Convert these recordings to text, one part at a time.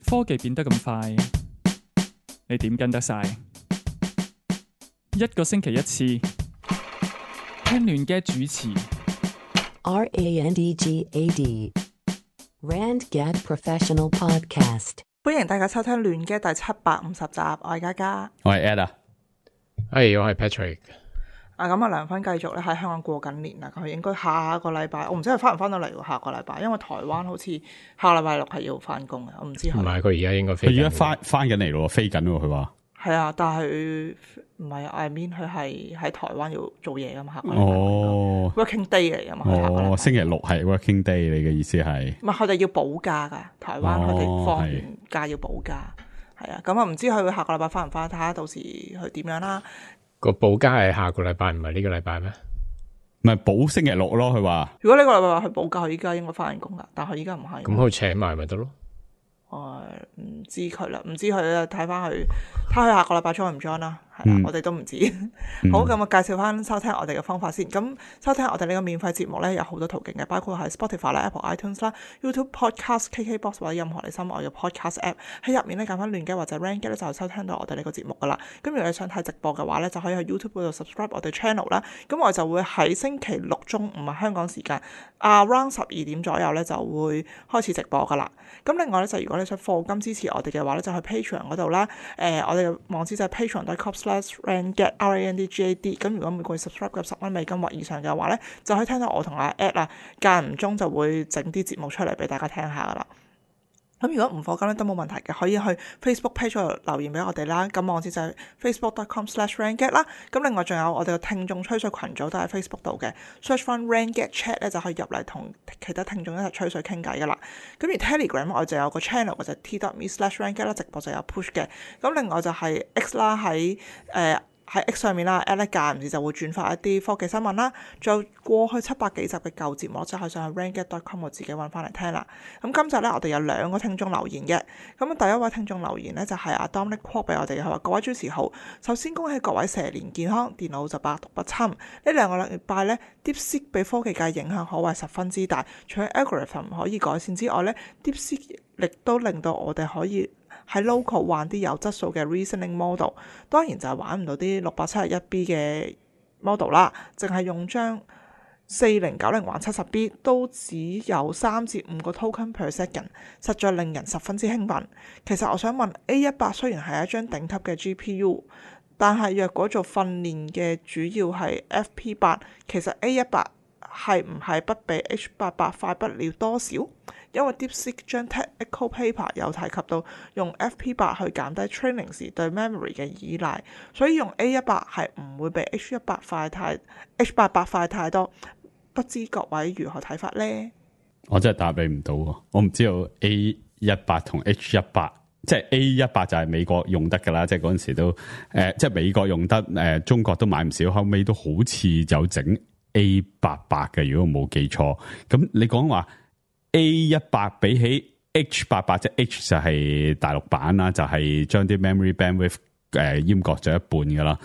科技變得咁快，你點跟得晒？一個星期一次，聽亂嘅主持。RANDGAD RandGad Professional Podcast。歡迎大家收聽亂嘅第750集，我係嘉嘉，我係 Ed 啊，我係 Patrick。咁啊，梁芬繼續咧喺香港過緊年啦，佢應該下個禮拜，我唔知佢翻唔翻到嚟喎。下個禮拜，因為台灣好似下個禮拜六係要翻工嘅，我唔知。唔係，佢而家應該飛緊。佢而家翻緊嚟咯，飛緊喎。佢話係啊，但係佢唔係，I mean 佢係喺台灣要做嘢噶嘛，下個禮拜。哦 ，working day 嚟噶嘛。哦，星期六係 working day，你嘅意思係？唔係，佢哋要補假噶，台灣佢哋放完假要補假，係啊。咁啊，唔知佢下個禮拜翻唔翻？睇下到時佢點樣啦。個補假係下個禮拜，唔係呢個禮拜咩？唔係補星期六咯，佢話。如果呢個禮拜話佢補假，佢依家應該翻緊工噶，但係佢依家唔係。咁佢請埋咪得咯？唔知佢啦，唔知佢啦，睇翻佢，睇佢下個禮拜 join 唔 join 啦。係啦，我哋都唔知。好，咁我介紹翻收聽我哋嘅方法先。咁收聽我哋呢個免費節目咧，有好多途徑嘅，包括係 Spotify 啦、Apple iTunes 啦、YouTube Podcast、KKBox 或者任何你心愛嘅 Podcast App。喺入面咧揀翻亂嘅或者 RandGad 咧，就收聽到我哋呢個節目噶啦。咁如果你想睇直播嘅話咧，就可以喺 YouTube 嗰度 subscribe 我哋 channel 啦。咁我就會喺星期六中午啊香港時間around 12點左右咧就會開始直播噶啦。咁另外咧就如果你想課金支持我哋嘅話咧，就去 Patreon 嗰度啦。我哋嘅網址就係 patreon.com/RandGad RANDGAD。咁如果每個月 subscribe 嘅10蚊美金或以上嘅話咧，就可以聽到我同阿 Ed 啦，間唔中就會整啲節目出嚟俾大家聽下噶啦。咁如果唔課金咧都冇問題嘅，可以去 Facebook page 度留言俾我哋啦。咁網址就係 facebook.com/RandGad 啦。咁另外仲有我哋嘅聽眾吹水群組都喺 Facebook 度嘅 ，search 翻 RandGad Chat 咧就可以入嚟同其他聽眾一齊吹水傾偈噶啦。咁而 Telegram 我就有個 channel 嘅就係 t.me/RandGad 啦，直播就有 push 嘅。咁另外就係 X 啦，喺X 上面啦 ，Ed 間唔時就會轉發一啲科技新聞啦。仲有過去700幾集嘅舊節目，就可以上去 RandGad.com 我自己揾翻嚟聽啦。咁今集咧，我哋有2個聽眾留言嘅。咁第一位聽眾留言咧就係阿 Dominic Kwok 俾我哋，佢話各位主持好，首先恭喜各位蛇年健康，電腦就百毒不侵。呢2個禮拜咧，DeepSeek 俾科技界影響可謂十分之大。除咗 algorithm 可以改善之外咧，DeepSeek 亦都令到我哋可以喺 local 玩啲有質素嘅 reasoning model， 當然就係玩唔到啲671B 嘅 model 啦，淨係用張4090玩70B 都只有3至5個 token per second， 實在令人十分之興奮。其實我想問 A18 雖然係一張頂級嘅 GPU， 但係若果做訓練嘅主要係 FP8， 其實 A18 係唔係不比 H88 快不了多少？因為 DeepSeek 張 technical paper 有提及到用 FP8 去減低 training 時對 memory 嘅依賴，所以用 A18 係唔會比 H88 快太多。不知各位如何睇法呢？我真係答你唔到喎，我唔知道 A18 同 H18， 即係 A18 就係美國用得噶啦，即係嗰陣時都即係美國用得，中國都買唔少，後尾都好似有整 A88 嘅，如果我冇記錯。咁你講話 A18 比起 H88， 即係 H 就係大陸版啦，就係將啲 memory bandwidth 閹割咗一半噶啦。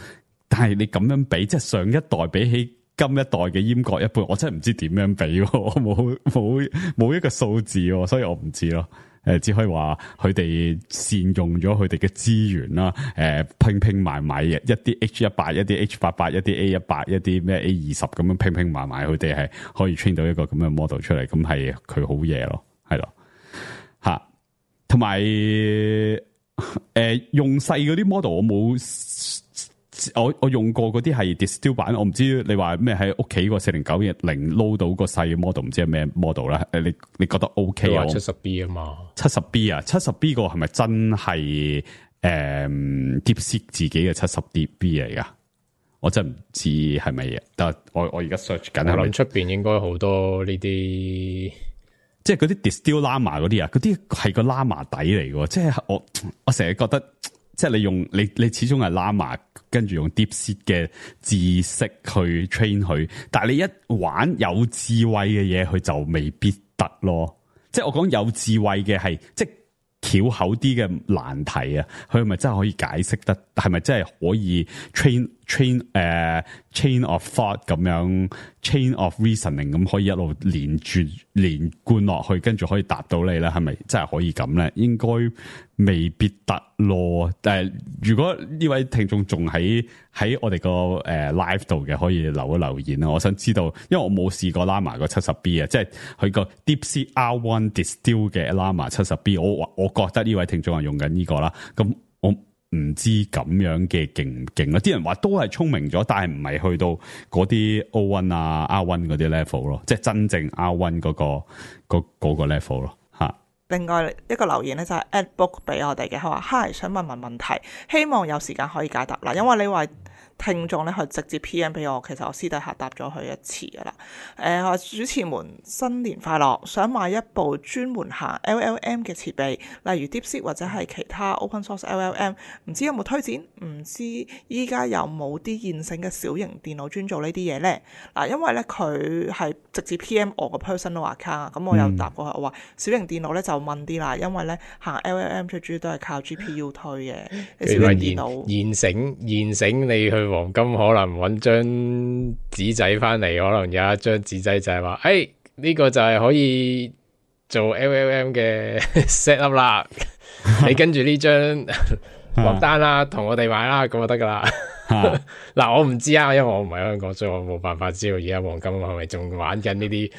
但係你咁樣比，即係上一代比起今一代嘅閹割一半，我真係唔知點樣比，我冇一個數字，所以我唔知咯。只可以話佢哋善用咗佢哋嘅資源啦，拼埋一啲 H18， 一啲 H88， 一啲 A18， 一啲咩 A20 咁樣拼埋，佢哋係可以 train 到一個咁嘅 model 出嚟，咁係佢好嘢咯，係咯，吓，同埋用細嗰啲 model 我冇。我用過嗰啲係 distill 版，我唔知你話咩喺屋企個4090 撈到個細嘅 model， 唔知係咩 model 啦。你覺得 OK 啊？70B 啊嘛，70B 啊，70B 個係咪真係DeepSeek 自己嘅70B 嚟噶？我真唔知係咪嘢，但係我而家 search 緊。我諗出邊應該好多呢啲，即係嗰啲 distill Llama 嗰啲啊，嗰啲係個 Llama 底嚟嘅，即係我成日覺得。即係你用你始終係 Llama 跟住用 DeepSeek 嘅知識去 train 佢，但係你一玩有智慧嘅嘢，佢就未必得咯。即係我講有智慧嘅係即係巧口啲嘅難題啊，佢係咪真係可以解釋得？係咪真係可以 train chain of thought 咁樣 chain of reasoning 咁可以一路連貫落去，跟住可以答到你咧，係咪真係可以咁咧？應該未必得咯。但係如果呢位聽眾仲喺我哋個live 度嘅，可以留一留言啦。我想知道，因為我冇試過 Llama 個 70B 啊，即係佢個 DeepSeek R1 Distill 嘅 Llama 70B， 我覺得呢位聽眾係用緊呢個啦。咁我唔知咁樣嘅勁唔勁啦，啲人話都係聰明咗，但係唔係去到嗰啲 O1 啊 R1 嗰啲 level 咯，即係真正 R1 嗰個 level 咯嚇。另外一個留言咧就係 AdBook 俾我哋嘅，佢話 Hi 想問題，希望有時間可以解答嗱，因為呢位聽眾咧佢直接 PM 俾我，其實我私底下答咗佢一次噶啦。話主持們新年快樂，想買一部專門行 LLM 嘅設備，例如 DeepSeek 或者係其他 Open Source LLM， 唔知有冇推薦？唔知依家有冇啲現成嘅小型電腦專做呢啲嘢呢？嗱，因為咧佢係直接 PM 我個 personal account， 咁我有答過佢，我話小型電腦咧就問啲啦，因為咧行 LLM 最主要都係靠 GPU 推嘅。小型電腦現成你去黃金可能揾張紙仔翻嚟，可能有一張紙仔就係話，呢個就係可以做 LLM 嘅 set up 啦。你跟住呢張落單啦，同我哋買啦，咁就得噶啦。嗱，我唔知啊，因為我唔喺香港，所以我冇辦法知道而家黃金係咪仲玩緊呢啲，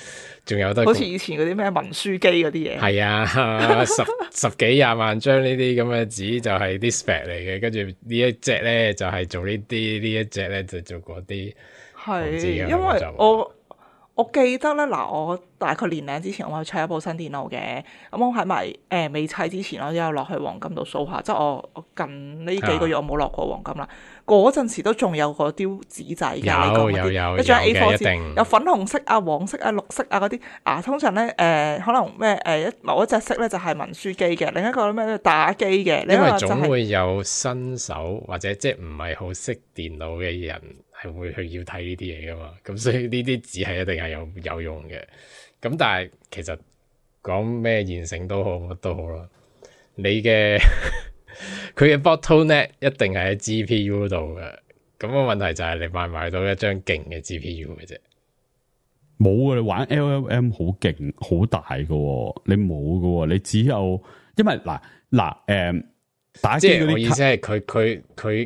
仲有得好似以前嗰啲咩文書機嗰啲嘢。係啊，十幾廿萬張呢啲咁嘅紙就係啲 spec 嚟嘅，跟住呢一隻咧就係做呢啲，呢一隻咧就做嗰啲。係，因為我記得咧，嗱，我大概年零之前我去砌一部新電腦嘅，咁我喺埋未砌之前，我都有落去黃金度掃下，即係我近呢幾個月我冇落過黃金啦。嗰陣時都仲有嗰啲紙仔嘅，有一張 A4 紙，有粉紅色啊、黃色啊、綠色啊嗰啲啊。通常咧可能咩某一隻色咧就係文書機嘅，另一個咩打機嘅。因為總會有新手或者即係唔係好識電腦嘅人係會去要睇呢啲嘢噶嘛，咁所以呢啲紙係一定係有用嘅。咁但係其實講咩現成都好乜都好啦，你嘅佢嘅 bottleneck 一定係喺 GPU 度嘅。咁個問題就係你買唔買到一張勁嘅 GPU 嘅啫。冇啊！你玩 LLM 好勁好大噶，你冇噶，你只有因為打機嗰啲，即係我意思係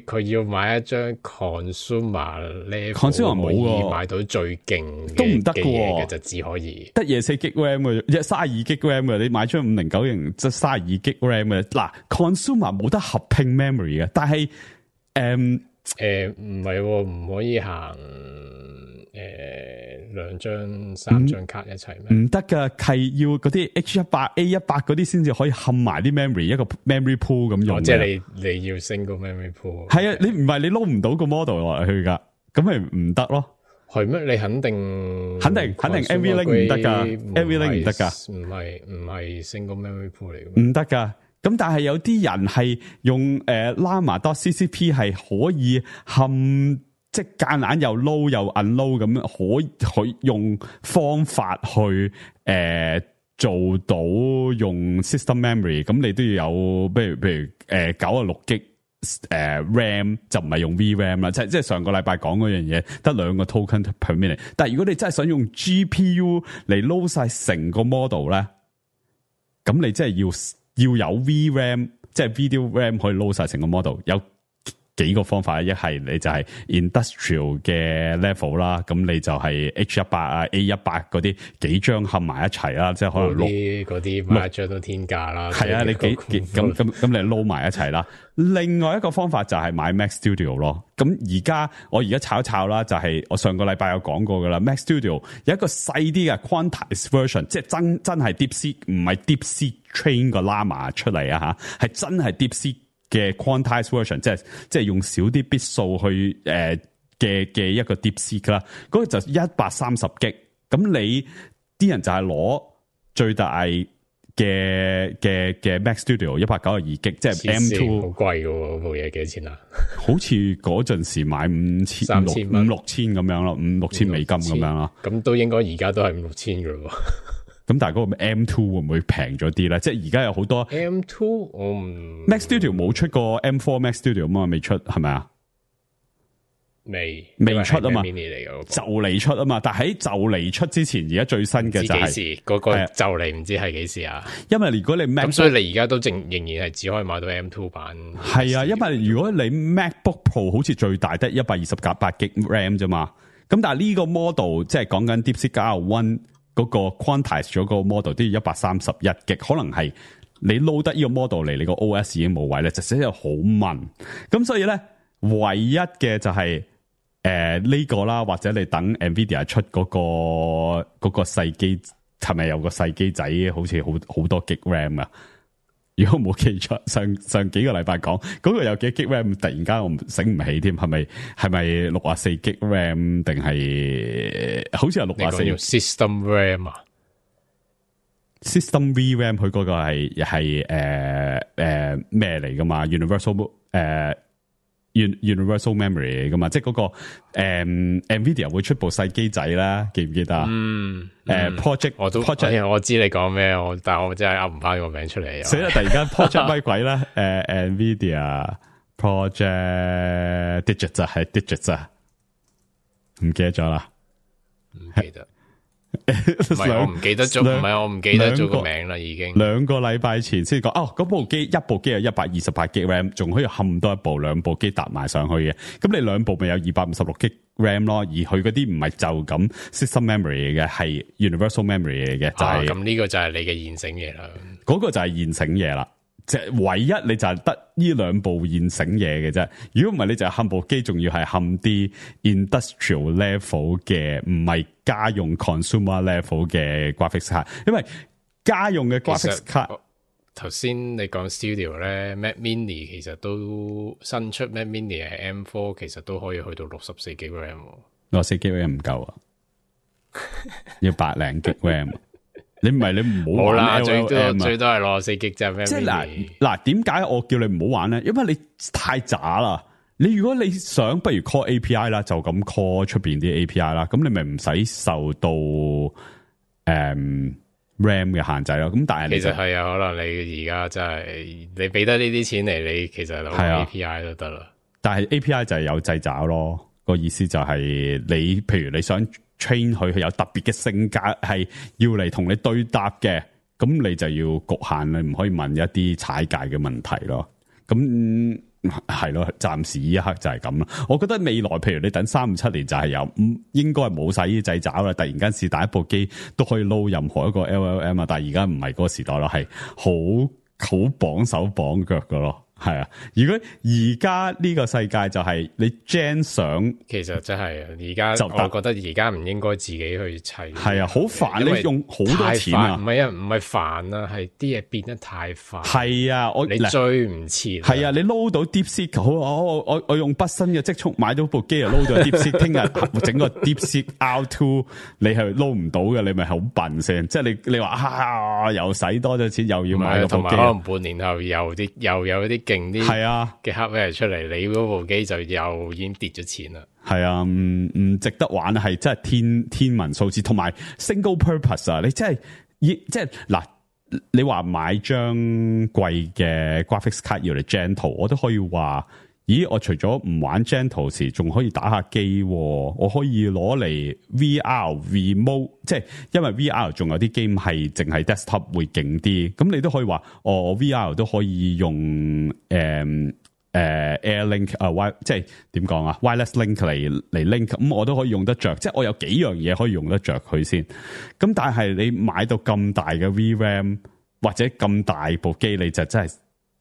佢要買一張 consumer level 冇可以買到最勁都唔得嘅嘢嘅就只可以得嘢4 GB RAM 嘅，32 GB RAM 嘅，你買張5090即係32 GB RAM 嘅。嗱 consumer 冇得合拼 memory 嘅，但係唔係唔可以行2張3張卡一齊咩？唔得噶，係要嗰啲 H100 A100 嗰啲先至可以冚埋啲 memory， 一個 memory pool 咁用。即係你要 single memory pool。係啊，你唔係你撈唔到個 model 落去噶，咁咪唔得咯。係咩？你肯定 NVLink 唔得噶，NVLink 唔得噶，唔係 single memory pool 嚟嘅，唔得噶。咁但係有啲人係用Llama.ccp 係可以冚。即係間硬又 load 又 unload 咁，可以用方法去做到用 system memory， 咁你都要有，譬如96 G RAM 就唔係用 VRAM 啦，即係上個禮拜講嗰樣嘢得2個 token per minute， 但係如果你真係想用 GPU 嚟 load 晒成個 model 咧，咁你真係要有 VRAM， 即係 video RAM 可以 load 晒成個 model， 有幾個方法，一係你就係 industrial 嘅 level 啦，咁你就係 H100 啊 A100 嗰啲幾張合埋一齊啦，即係可能嗰啲買一張都天價啦。係啊，你咁你撈埋一齊啦。另外一個方法就係買 Mac Studio 咯。咁我而家炒一炒啦，就係我上個禮拜有講過噶啦。Mac Studio 有一個細啲嘅 quantized version， 即係真係 DeepSeek， 唔係 DeepSeek train 個 Llama 出嚟啊吓，係真係 DeepSeek嘅 quantized version， 即係用少啲 bit 數去嘅一個 DeepSeek 啦，嗰個就130 G， 咁你啲人就係攞最大嘅 Mac Studio 192 G， 即係 M2， 好貴嘅喎，部嘢幾多錢啊？好似嗰陣時買5,000-6,000咁樣咯，5,000-6,000美金咁樣咯。咁都應該而家都係5,000-6,000嘅咯。咁但係嗰個 M2 會唔會平咗啲咧？即係而家有好多 M2， 我唔 Mac Studio 冇出過 M4 Mac Studio 嘛，未出係咪啊？未出啊嘛， mini 嚟嘅就嚟出啊嘛。但喺就嚟出之前，而家最新嘅就係幾時嗰個就嚟唔知係幾時啊？因為如果你 Mac 咁，所以你而家都仍然係只可以買到 M2 版。係啊，因為如果你 MacBook Pro 好似最大得128GB RAM 啫嘛。咁但係呢個 model 即係講緊 DeepSeek R1 嗰個 quantize 咗個 model 都要131GB，可能係你 load 得呢個 model 嚟，你個 OS 已經冇位咧，就寫得好慢。咁所以咧，唯一嘅就係呢個啦，或者你等 Nvidia 出嗰個細機，係咪有個細機仔好似好多 G RAM 啊？如果冇記錯，上幾個禮拜講嗰個有幾 G RAM，突然間我醒唔起添，係咪64 G RAM 定係好似係64 System RAM 啊？System VRAM 佢嗰個係咩嚟噶嘛？Universal Memory 嚟噶嘛？即係嗰個Nvidia 會出部細機仔啦，記唔記得啊？Project 我知你講咩，但係我真係噏唔翻個名出嚟。所以突然間 Project 乜鬼啦？Nvidia Project Digits 係 Digits 啊，唔記得咗啦，唔記得。唔係我唔記得咗，唔係我唔記得咗個名啦，已經2個禮拜前先講。嗰部機一部機有128GB RAM，仲可以冚多一部兩部機搭埋上去嘅。咁你兩部咪有256GB RAM 咯？而佢嗰啲唔係就咁 system memory 嘅，係 universal memory 嚟嘅，就係咁呢個就係你嘅現成嘢啦。嗰個就係現成嘢啦。即係唯一你就係得呢兩部現成嘢嘅啫。如果唔係，你就係冚部機，仲要係冚啲 industrial level 嘅，唔係家用 consumer level 嘅 graphics 卡。因為家用嘅 graphics 卡，頭先你講 studio 咧 ，Mac Mini 其實都新出 Mac Mini 係 M4，其實都可以去到64GB RAM。64GB RAM 唔夠啊，要100零 GB RAM。你唔係你唔好玩 LLM 最多係64GB啫。即係嗱，點解我叫你唔好玩咧？因為你太渣啦。你如果你想，不如 call API 啦，就咁 call 出邊啲 API 啦。咁你咪唔使受到RAM 嘅限制咯。咁但係其實係啊，可能你而家真係你俾得呢啲錢嚟，你其實攞 API 都得啦。但係 API 就係有掣肘咯。個意思就係你，譬如你想train 佢有特別嘅性格，係要嚟同你對答嘅，咁你就要局限，你唔可以問一啲踩界嘅問題咯。咁係咯，暫時呢一刻就係咁啦。我覺得未來，譬如你等3-5-7年就係有，應該係冇晒呢啲掣肘啦。突然間是第一部機都可以撈任何一個 LLM 啊，但係而家唔係嗰個時代咯，係好綁手綁腳噶咯。係啊，如果而家呢個世界就係你 gen 相，其實真係而家我覺得而家唔應該自己去砌。係啊，好煩，你用好多錢啊！唔係啊，唔係煩啊，係啲嘢變得太快。係啊，你追唔切。係啊，你撈到 DeepSeek 好，我用畢生嘅積蓄買到部機啊，撈咗 DeepSeek， 聽日整個 DeepSeek R2， 你係撈唔到嘅，你咪好笨先。即係你話又使多咗錢，又要買部機，同埋可能半年後又有啲勁啲係啊嘅 hardware 出嚟，你嗰部機就又已經跌咗錢啦。係啊，唔值得玩，係真係天文數字，同埋 single purpose 啊！你真係即係嗱，你話買張貴嘅 graphics 卡要嚟 Gentle， 我都可以話，咦？我除咗唔玩 Gentle 時，仲可以打下機，我可以攞嚟 VR remote， 即係因為 VR 仲有啲 game 係淨係 desktop 會勁啲，咁你都可以話，我 VR 都可以用Airlink 即係點講啊 wireless link 嚟 link， 咁我都可以用得着，即係我有幾樣嘢可以用得着佢先。咁但係你買到咁大嘅 VRAM 或者咁大部機，你就真係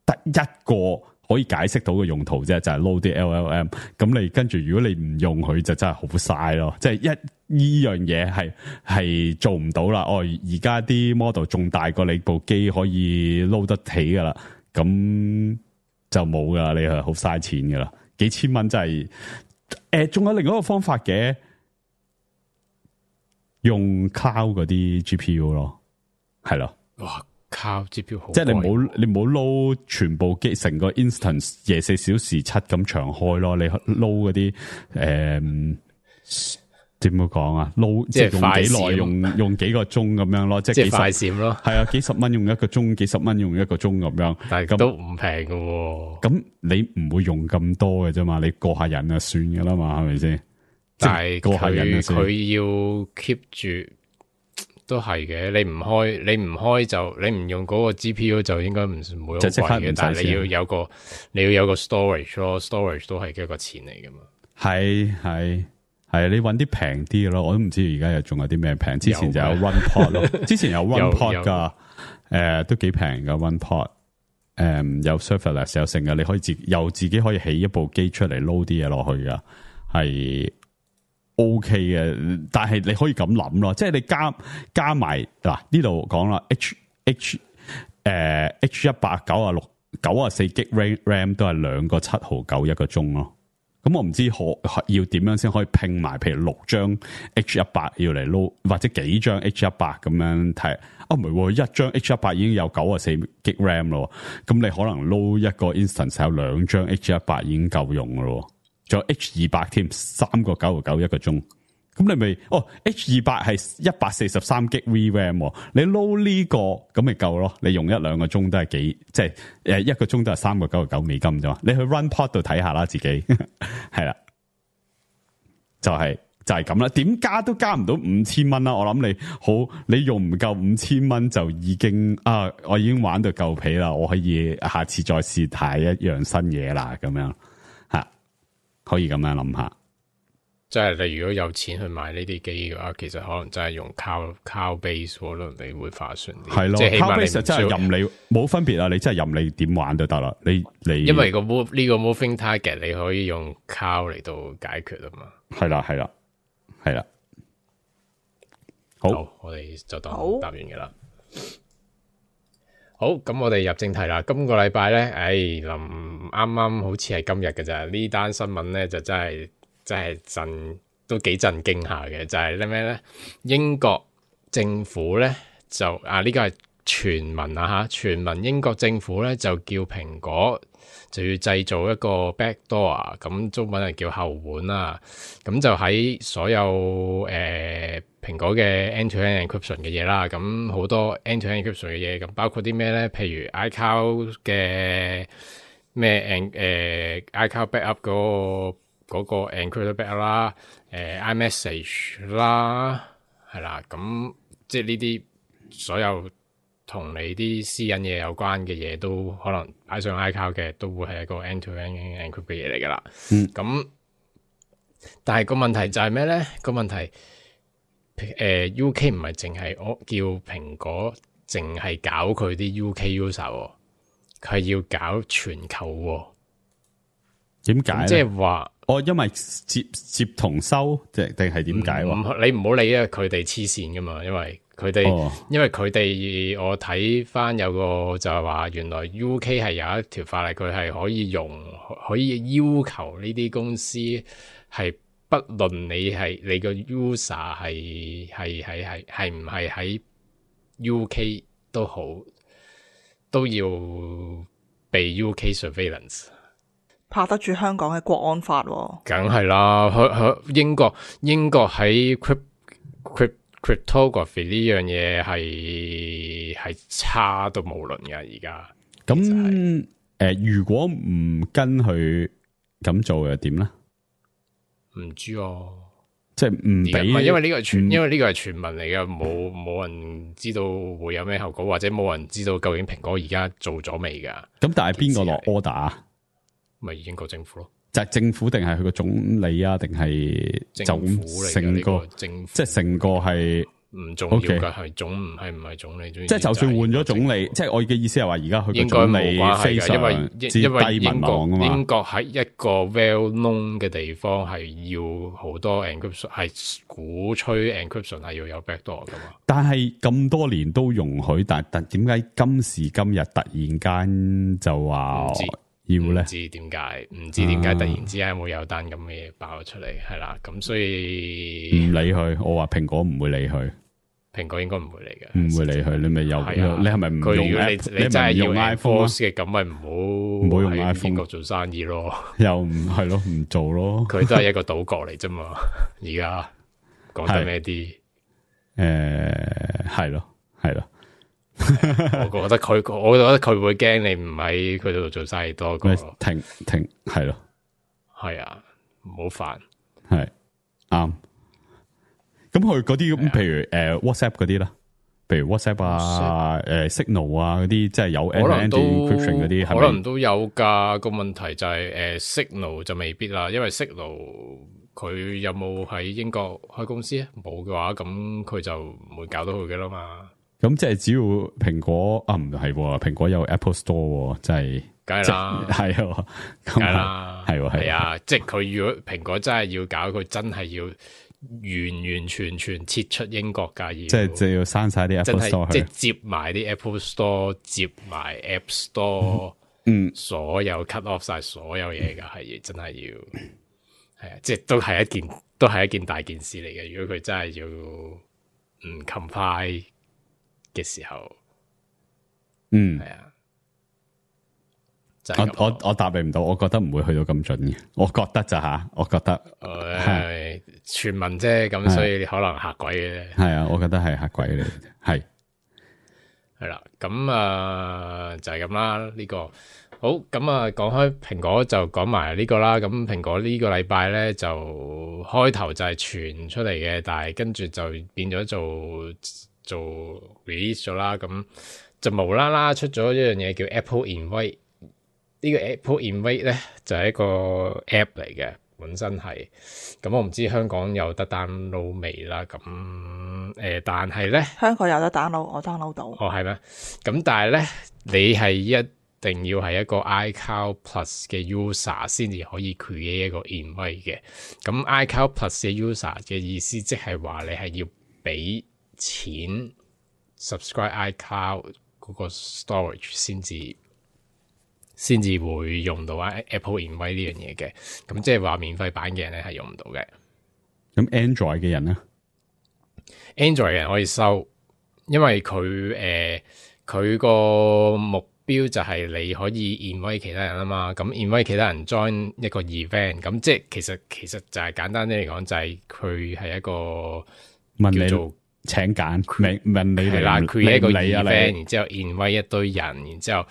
得一個可以解釋到嘅用途啫，就係 load 啲 LLM。咁你跟住如果你唔用佢，就真係好嘥咯。即係呢樣嘢係做唔到啦。而家啲 model 仲大過你部機可以 load 得起噶啦，咁就冇噶，你係好嘥錢噶啦，幾千蚊真係。仲有另外一個方法嘅，用 cloud 嗰啲 GPU 咯，係咯。哇，cloud GPU 好，即係你唔好撈全部機成個 instance 24小時7咁長開咯，你撈嗰啲點樣講啊？撈即係用幾耐，用幾個鐘咁樣咯，即係快閃咯。係啊，幾十蚊用一個鐘，幾十蚊用一個鐘咁樣，但係都唔平㗎。咁你唔會用咁多嘅啫嘛，你過下癮就算噶啦嘛，係咪先？但係過下癮佢要 keep 住都係嘅。你唔開就你唔用嗰個 GPU 就應該唔會好貴嘅。但係你要有個 storage 咯 ，storage 都係一個錢嚟噶嘛。係，你搵啲平啲嘅咯，我都唔知而家仲有啲咩平。之前就有 OnePod 咯，之前有 OnePod 噶，都幾平噶 OnePod，有 serverless 有成嘅，你可以自己可以起一部機出嚟撈啲嘢落去噶，係 OK 嘅。但係你可以咁諗咯，即係你加埋嗱呢度講啦 H100 94GB RAM 都係2個7號9一個鐘咯。咁我唔知要點樣先可以拼埋，譬如6張 H100 要嚟撈，或者幾張 H100 咁樣睇。唔係，一張 H100 已經有94GB RAM 咯。咁你可能撈一個 instance 有2張 H100 已經夠用噶咯。仲有 H200 添，3個9號9一個鐘。咁你咪H200 係143GB VRAM，你撈呢個咁咪夠咯？你用1-2個鐘都係即係1個鐘都係3個9號9美金啫嘛。你去 RunPod 度睇下啦，自己係啦，就係咁啦。點加都加唔到5000蚊啦。我諗你用唔夠5000蚊就已經我已經玩到夠皮啦。我可以下次再試睇一樣新嘢啦，咁樣可以咁樣諗下。即係你如果有錢去買呢啲機嘅話，其實可能真係用 cloud base 可能你會划算啲。係咯，即係起碼你 base 真係任你冇分別啊！你真係任你點玩都得啦。你因為呢個 moving target 你可以用 cloud 嚟到解決啊嘛。係啦。好，我哋就當答完嘅啦。好，咁我哋入正題啦。今個禮拜咧，啱啱好似係今日嘅咋？呢單新聞咧就真係都幾震驚下嘅，就係咩咧？英國政府咧就呢個係傳聞啊嚇，傳聞英國政府咧就叫蘋果就要製造一個 backdoor，咁中文係叫後門啦。咁就喺所有蘋果嘅 end-to-end encryption 嘅嘢啦，咁好多 end-to-end encryption 嘅嘢，咁包括啲咩咧？譬如 iCloud 嘅咩iCloud backup 嗰個 encrypted backup 啦，iMessage 啦，係啦，咁即係呢啲所有同你啲私隱嘢有關嘅嘢，都可能擺上 iCloud 嘅，都會係一個 end-to-end encrypted 嘅嘢嚟噶啦。咁但係個問題就係咩咧？個問題UK 唔係淨係我叫蘋果淨係搞佢啲 UK user，佢係要搞全球喎。點解？即係話因為接同收，定係點解？你唔好理啊，佢哋黐線噶嘛，因為佢哋，我睇翻有個就係話，原來 UK 係有一條法例，佢係可以要求呢啲公司係不論你個 user 係唔係喺 UK 都好，都要被 UK surveillance。拍得住香港嘅國安法喎，梗係啦，英國喺 cryptography 呢樣嘢係差到無倫噶而家。咁如果唔跟佢咁做又點咧？唔知啊，即係唔俾，因為呢個係傳聞嚟嘅，冇人知道會有咩後果，或者冇人知道究竟蘋果而家做咗未噶。咁但係邊個落 order 啊？咪英國政府咯，就係政府定係佢個總理啊？定係政府嚟嘅？成個政府，即係成個係唔重要嘅，係唔係總理？即係就算換咗總理，即係我嘅意思係話，而家佢應該冇關係嘅，因為英國喺一個 well known 嘅地方係要好多 encryption， 係鼓吹 encryption 係要有 backdoor 噶嘛。但係咁多年都容許，但點解今時今日突然間就話？唔知點解突然之間會有單咁嘅嘢爆咗出嚟，係啦，咁所以唔理佢。我話蘋果唔會理佢，蘋果應該唔會理嘅，唔會理佢。你咪有，你係咪唔用？你真係用 iPhone 嘅，咁咪唔好用 iPhone 國做生意咯。又唔係咯，唔做咯。佢都係一個島國嚟啫嘛，而家講得咩啲？係咯，係咯。我覺得佢會驚你唔喺佢度做生意多過停係咯，係啊，唔好煩，係啱。咁佢嗰啲咁，譬如WhatsApp 嗰啲啦，譬如 WhatsApp 啊、Signal 啊嗰啲，即係有 end-to-end encryption 嗰啲，可能都有噶。個問題就係Signal 就未必啦，因為 Signal 佢有冇喺英國開公司啊？冇嘅話，咁佢就唔會搞到佢嘅啦嘛。咁即係只要蘋果唔係喎，蘋果有 Apple Store，即係梗係啦，係喎，梗係啦，係啊，即係佢如果蘋果真係要搞，佢真係要完全撤出英國㗎，即係要刪晒啲 Apple Store，即係接埋啲 Apple Store，接埋 App Store，所有 cut off 晒所有嘢㗎，係真係要係啊，即係都係一件大件事嚟嘅。如果佢真係要唔 comply嘅時候，係啊，就係我答你唔到，我覺得唔會去到咁準嘅，我覺得咋吓，我覺得傳聞啫，咁所以可能嚇鬼嘅，係啊，我覺得係嚇鬼嚟嘅，係啦，咁就係咁啦，呢個好，咁講開蘋果就講埋呢個啦，咁蘋果呢個禮拜咧就開頭就係傳出嚟嘅，但係跟住就變咗做 release 咗啦，咁就無啦啦出咗一樣嘢叫 Apple Invite。呢個 Apple Invite 咧就係一個 app 嚟嘅，本身係咁，我唔知香港有得 download 未啦。咁但係咧香港有得 download，我 download 到。哦，係咩？咁但係咧，你係一定要係一個 iCloud Plus 嘅 user 先至可以 create 一個 invite 嘅。咁 iCloud Plus 嘅 user 嘅意思即係話你係要俾錢 subscribe iCloud 嗰個 storage 先至會用到 Apple Invite 呢樣嘢嘅，咁即係話免費版嘅人咧係用唔到嘅。咁 Android 嘅人咧 ，Android 嘅人可以收，因為佢個目標就係你可以 invite 其他人啊嘛。咁 invite 其他人 join 一個 event，咁即係其實就係簡單啲嚟講，就係佢係一個問你叫做請揀，問你係啦，create 一個 event，然之後 invite invite 一堆人，然之後。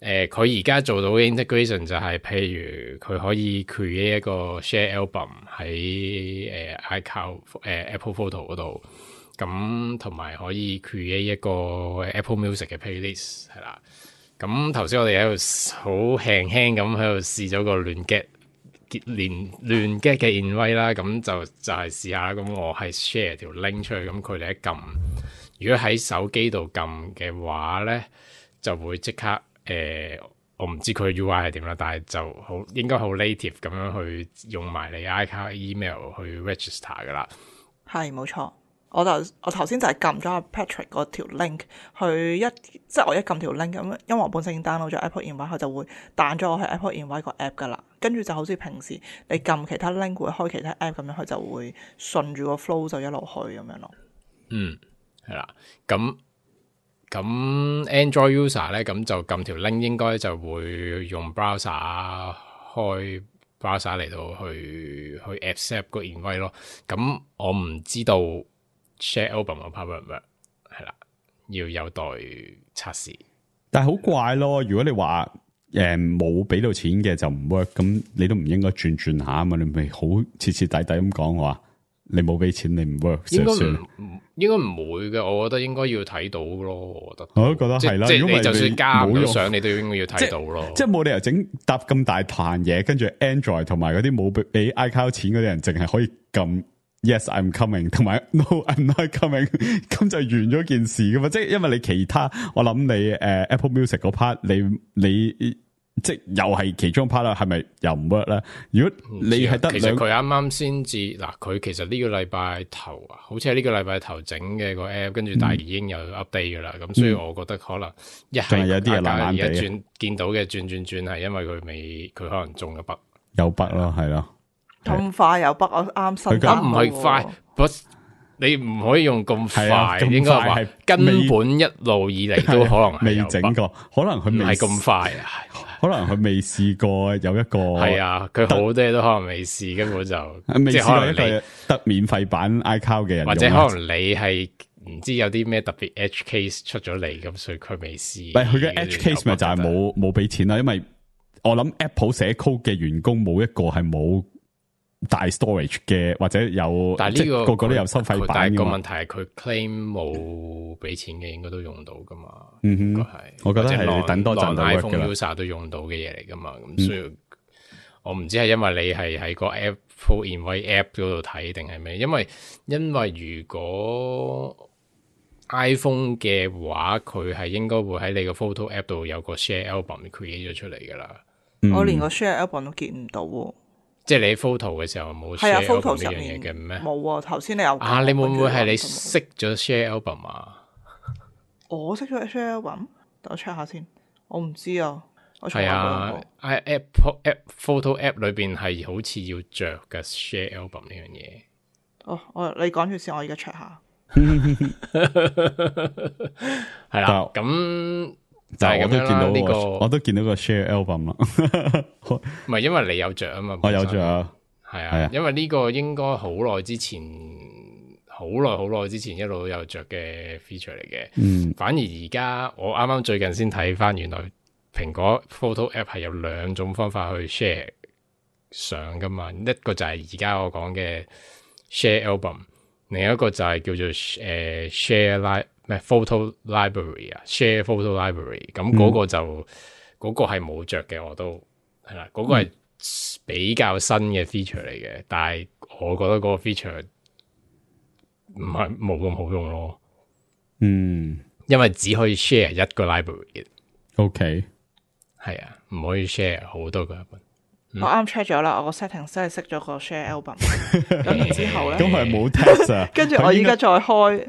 佢而家做到嘅 integration 就係，譬如佢可以 create 一個 share album 喺iCloud Apple Photo 嗰度，咁同埋可以 create 一個 Apple Music 嘅 playlist 係啦。咁頭先我哋喺度好輕輕咁喺度試咗個亂 get 嘅 invite 啦，咁就係試下。咁我係 share 條 link 出去，咁佢哋一撳，如果喺手機度撳嘅話咧，就會即刻。我唔知佢 UI 係點啦，但係就好應該好 native 咁樣去用埋你 iCloud email 去 register 噶啦。係冇錯，我頭先就係撳咗阿 Patrick 嗰條 link 即係我一撳條 link 咁，因為我本身已經 download 咗 Apple Invite，佢就會彈咗我去 Apple Invite 個 app 噶啦。跟住就好似平時你撳其他 link 會開其他 app 咁樣，佢就會順住個 flow 就一路去咁樣咯。係啦，咁 Android user 咧，咁就撳條 link 應該就會用 browser 開 browser 嚟到去 accept 個 invite 咯。咁我唔知道 share album 個 part 係啦，要有待測試。但係好怪咯，如果你話冇俾到錢嘅就唔 work，咁你都唔應該轉下啊嘛，你咪好徹徹底底咁講話。你冇俾錢，你唔 work 應該唔會嘅，我覺得應該要睇到咯。我覺得係啦，即係你就算加唔到相，你都應該要睇到咯。即係冇理由整搭咁大壇嘢，跟住 Android 同埋嗰啲冇俾 iCloud 錢嗰啲人，淨係可以撳 Yes I'm coming， 同埋 No I'm not coming， 咁就完咗件事噶嘛。即係因為你其他，我諗你Apple Music 嗰 part， 你即係又係其中 part 啦，係咪又唔 work 咧？如果你係得其實佢啱啱先至嗱，佢其實呢個禮拜頭啊，好似係呢個禮拜頭整嘅個 app， 跟住但係已經有 update 噶啦，咁所以我覺得可能一係有啲嘢爛爛地，而家見到嘅轉係因為佢可能中咗筆，有筆咯，係咯，咁快有筆，我啱新。咁唔係快，你唔可以用咁係啊快，應該話係根本一路以嚟都可能係未有整過，可能佢未唔係咁快啊。可能佢未試過有一個係啊，佢好多嘢都可能未試，根本就未試即係可能你過一個得免費版 iCloud 嘅人用啊，或者可能你係唔知有啲咩特別 edge case 出咗嚟，咁所以佢未試。唔係佢嘅 edge case 咪就係冇俾錢啦，因為我諗 Apple 寫 code 嘅員工冇一個係冇大 storage 嘅，或者有，但係呢個個個都有收費版但係個㗎嘛問題係佢 claim 冇俾錢嘅，應該都用到噶嘛。嗯哼應該係，我覺得係或者你等多陣就 work 㗎 iPhone 啦 user 都用到嘅嘢嚟噶嘛。咁所以我唔知係因為你係喺個 Apple Invite App 嗰度睇定係咩？因為如果 iPhone 嘅話，佢係應該會喺你個 Photo App 度有個 Share Album create 咗出嚟噶啦。我連個 share album 都見唔到喎。即係你 photo 嘅時候冇係啊 share ，photo album 呢樣上面嘢嘅咩？冇啊，頭先你有啊，你會唔會係你跟熄咗 share album 啊？我識咗 share album，等我 check 下先。我唔知啊，我從係來冇啊用過。 ，App photo app 裏邊係好似要着嘅 share album 呢樣嘢。哦，你講住先，我而家 check 下。係啦，咁就係咁樣啦。呢個我都見到個 share album 啦，唔係因為你有着啊嘛，我有本身着啊，係係啊啊，因為呢個應該好耐之前，好耐之前一路都有着嘅 feature 嚟嘅。嗯，反而而家我啱啱最近先睇翻，原來蘋果 photo app 係有兩種方法去 share 相噶嘛。一個就係而家我講嘅 share album，另一個就係叫做share photo library 啊，share photo library。咁嗰個就嗰、個係冇着嘅，我都係啦。嗰、個係比較新嘅 feature 嚟嘅，但係我覺得嗰個 feature 唔係冇咁好用咯。嗯因為只可以 share 一個 library， ，OK，係啊，唔可以 share 好多個 album。我啱 check 咗啦，我個 settings 真係熄咗個 share album。咁然之後咧，咁佢係冇 test 啊，跟住我依家再開，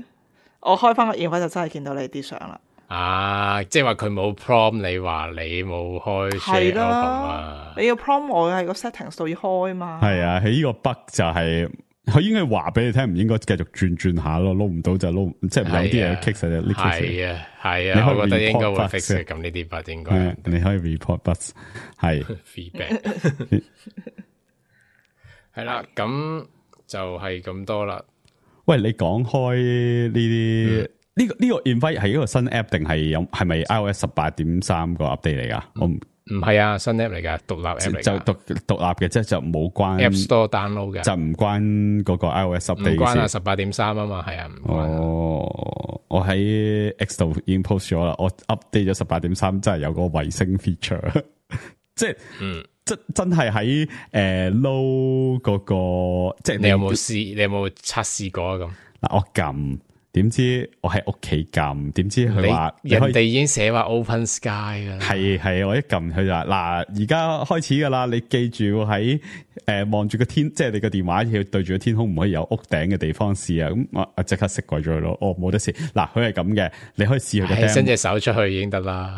我開翻個 invite 就真係見到你啲相啦。啊，即係話佢冇 prompt 你話你冇開 share 係 album 啦啊，，你要 prompt 我喺個 settings 度要開嘛。係啊，喺呢個 bug 就係佢應該話俾你聽，唔應該繼續轉下咯，撈唔到就撈，即係有啲嘢 kick 實呢 kick 係啊，係你啊，可以我覺得應該會 report fix bugs 嘅，咁呢啲 bug 應該係你可以 report bugs 係 feedback。係啦，咁就係咁多啦。喂，你講開呢啲呢個 invite 係一個新 app 定係咪 iOS 18.3個 update 嚟噶？我唔係啊，新 app 嚟噶，獨立 app 嚟就㗎，獨立嘅，即係就冇關 App Store download 嘅，就唔關嗰個 iOS 唔 update 關啊，事。 18.3啊嘛，係啊，唔關啊。哦，我喺 X 度已經 post 咗啦，我 update 咗18.3，真係有個衛星 feature，即係真係喺low 嗰個，即係你有冇試？你有冇測試過啊？咁嗱，我撳，點知我喺屋企撳，點知佢話人哋已經寫話 Open Sky 噶啦，係我一撳佢就話嗱，而家開始噶啦，你記住喺望住個天，即係你個電話要對住個天空，唔可以有屋頂嘅地方試啊！咁我即刻熄鬼咗佢咯，冇得試。嗱，佢係咁嘅，你可以試佢個 demo 伸隻手出去已經得啦，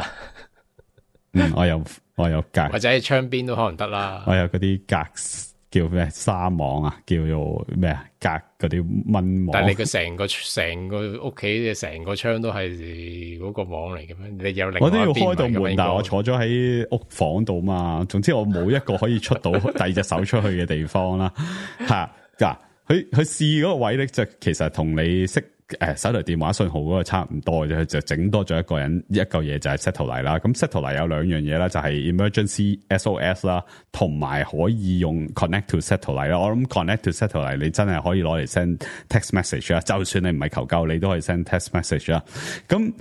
我有格，或者喺窗邊都可能得啦。我有嗰啲格叫咩沙網啊，叫做咩啊格嗰啲蚊網。但係你個成個屋企嘅成個窗都係嗰個網嚟嘅咩？你有另外我都要一邊開到門，唔係咁應該但係我坐咗喺屋房度嘛。總之我冇一個可以出到第二隻手出去嘅地方啦。吓嗱，佢試嗰個位咧，就其實同你識手提電話信號嗰個差唔多嘅啫，佢就整多咗一嚿嘢就係 Satellite 啦。咁 Satellite 有兩樣嘢啦，就係 Emergency SOS 啦，同埋可以用 Connect to Satellite 啦。我諗 Connect to Satellite 你真係可以攞嚟 send text message 啦，就算你唔係求救，你都可以 send text message 啦。咁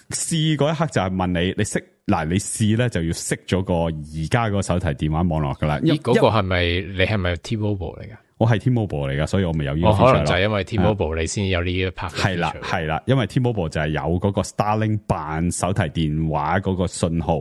試嗰一刻就係問你識嗱，你試咧就要熄咗個而家個手提電話網絡噶啦。咦，嗰個係咪你係咪 T-Mobile 嚟噶？我係 T-Mobile 嚟噶，所以我咪有呢個 feature 可能就係咯。因為 T-Mobile 你先有呢一 part 係啦，係啦，因為 T-Mobile 就係有嗰個 Starlink 扮手提電話嗰個信號，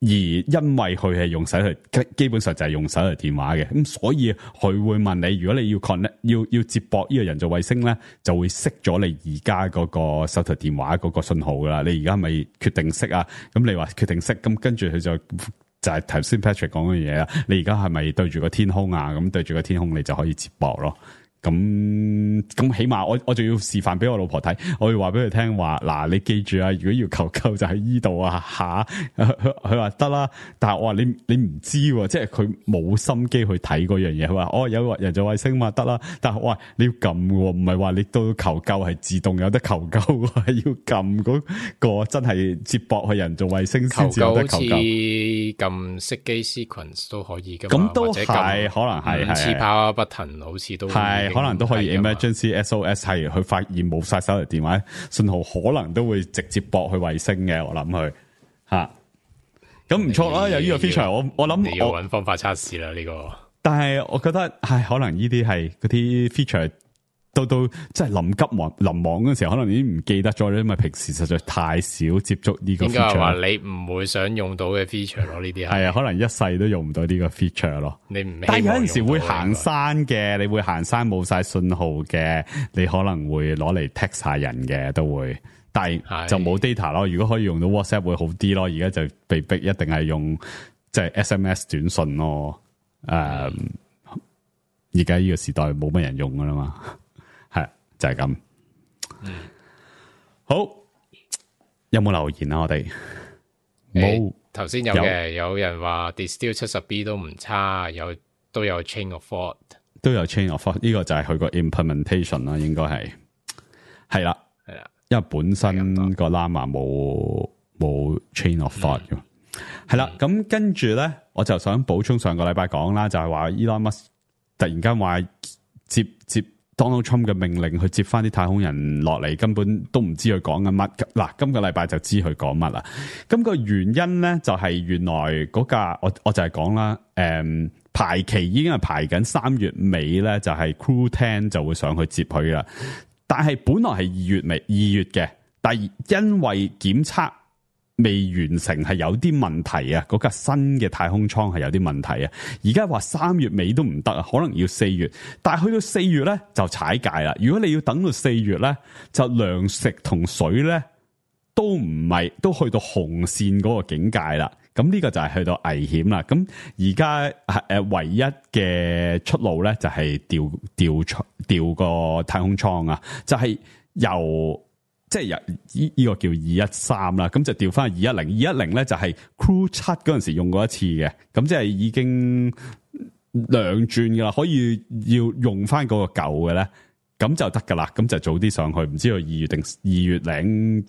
而因為佢係用手提，基本上就係用手提電話嘅，咁所以佢會問你，如果你要 connect 要接駁呢個人造衛星咧，就會熄咗你而家嗰個手提電話嗰個信號噶啦。你而家係咪決定熄啊？咁你話決定熄，咁跟住佢就係頭先 Patrick 講嘅嘢啦。你而家係咪對住個天空啊？咁對住個天空，你就可以接駁咯。咁起碼我仲要示範俾我老婆睇，我要話俾佢聽話嗱，你記住啊，如果要求救就喺依度啊下，佢話得啦，但係我話你唔知喎，即係佢冇心機去睇嗰樣嘢，佢話有人造衛星嘛得啦，但係我話你要撳喎，唔係話你到求救係自動有得求救，係要撳嗰個真係接駁去人造衛星先至有得求救。好似撳熄機 sequence 都可以㗎嘛，咁都係可能係5次 power button 好似都係可能都可以 emergency SOS 係佢發現冇晒手提電話信號，可能都會直接駁去衛星嘅，我諗佢吓。咁唔錯啦，有呢個 feature，我諗你要揾方法測試啦呢個。但係我覺得係可能呢啲係嗰啲 feature 到即係臨急臨忙嗰陣時候，可能已經唔記得咗，因為平時實在太少接觸呢個 feature。應該係話你唔會想用到嘅 feature 咯，呢啲係啊，可能一世都用唔到呢個 feature 咯。你唔，但係有陣時會行山嘅，你會行山冇晒信號嘅，你可能會攞嚟 text 下人嘅都會，但係就冇 data 咯。如果可以用到 WhatsApp 會好啲咯，而家就被逼一定係用即係 SMS 短信咯。而家呢個時代冇乜人用噶啦嘛。就係咁，好，有冇留言啊？我哋冇，頭先有嘅，有人話 Distill 70B 都唔差，都有 Chain of Thought， 都有 Chain of Thought， 呢個就係佢個 implementation 啦，應該係啦，因為本身個 Llama 冇 Chain of Thought 嘅，係啦，咁跟住咧，我就想補充上個禮拜講啦，就係話 Elon Musk 突然間話接 Donald Trump 嘅命令去接翻啲太空人落嚟，根本都唔知佢講緊乜。嗱，今個禮拜就知佢講乜啦。咁個原因咧就係原來嗰架我就係講啦，排期已經係排緊3月尾咧，就係 Crew 10就會上去接佢啦。但係本來係2月嘅，但係因為檢測未完成係有啲問題啊，嗰架新嘅太空艙係有啲問題啊，而家話3月尾都唔得啊，可能要4月，但係去到4月咧就踩界啦。如果你要等到4月咧，就糧食同水咧都唔係都去到紅線嗰個境界啦。咁呢個就係去到危險啦。咁而家唯一嘅出路咧就係調個太空艙啊，就係即係呢個叫213啦，咁就調翻去210咧就係 Crew 7嗰陣時用過一次嘅，咁即係已經2轉噶啦，可以要用翻嗰個舊嘅咧，咁就得噶啦，咁就早啲上去，唔知道2月定2月0，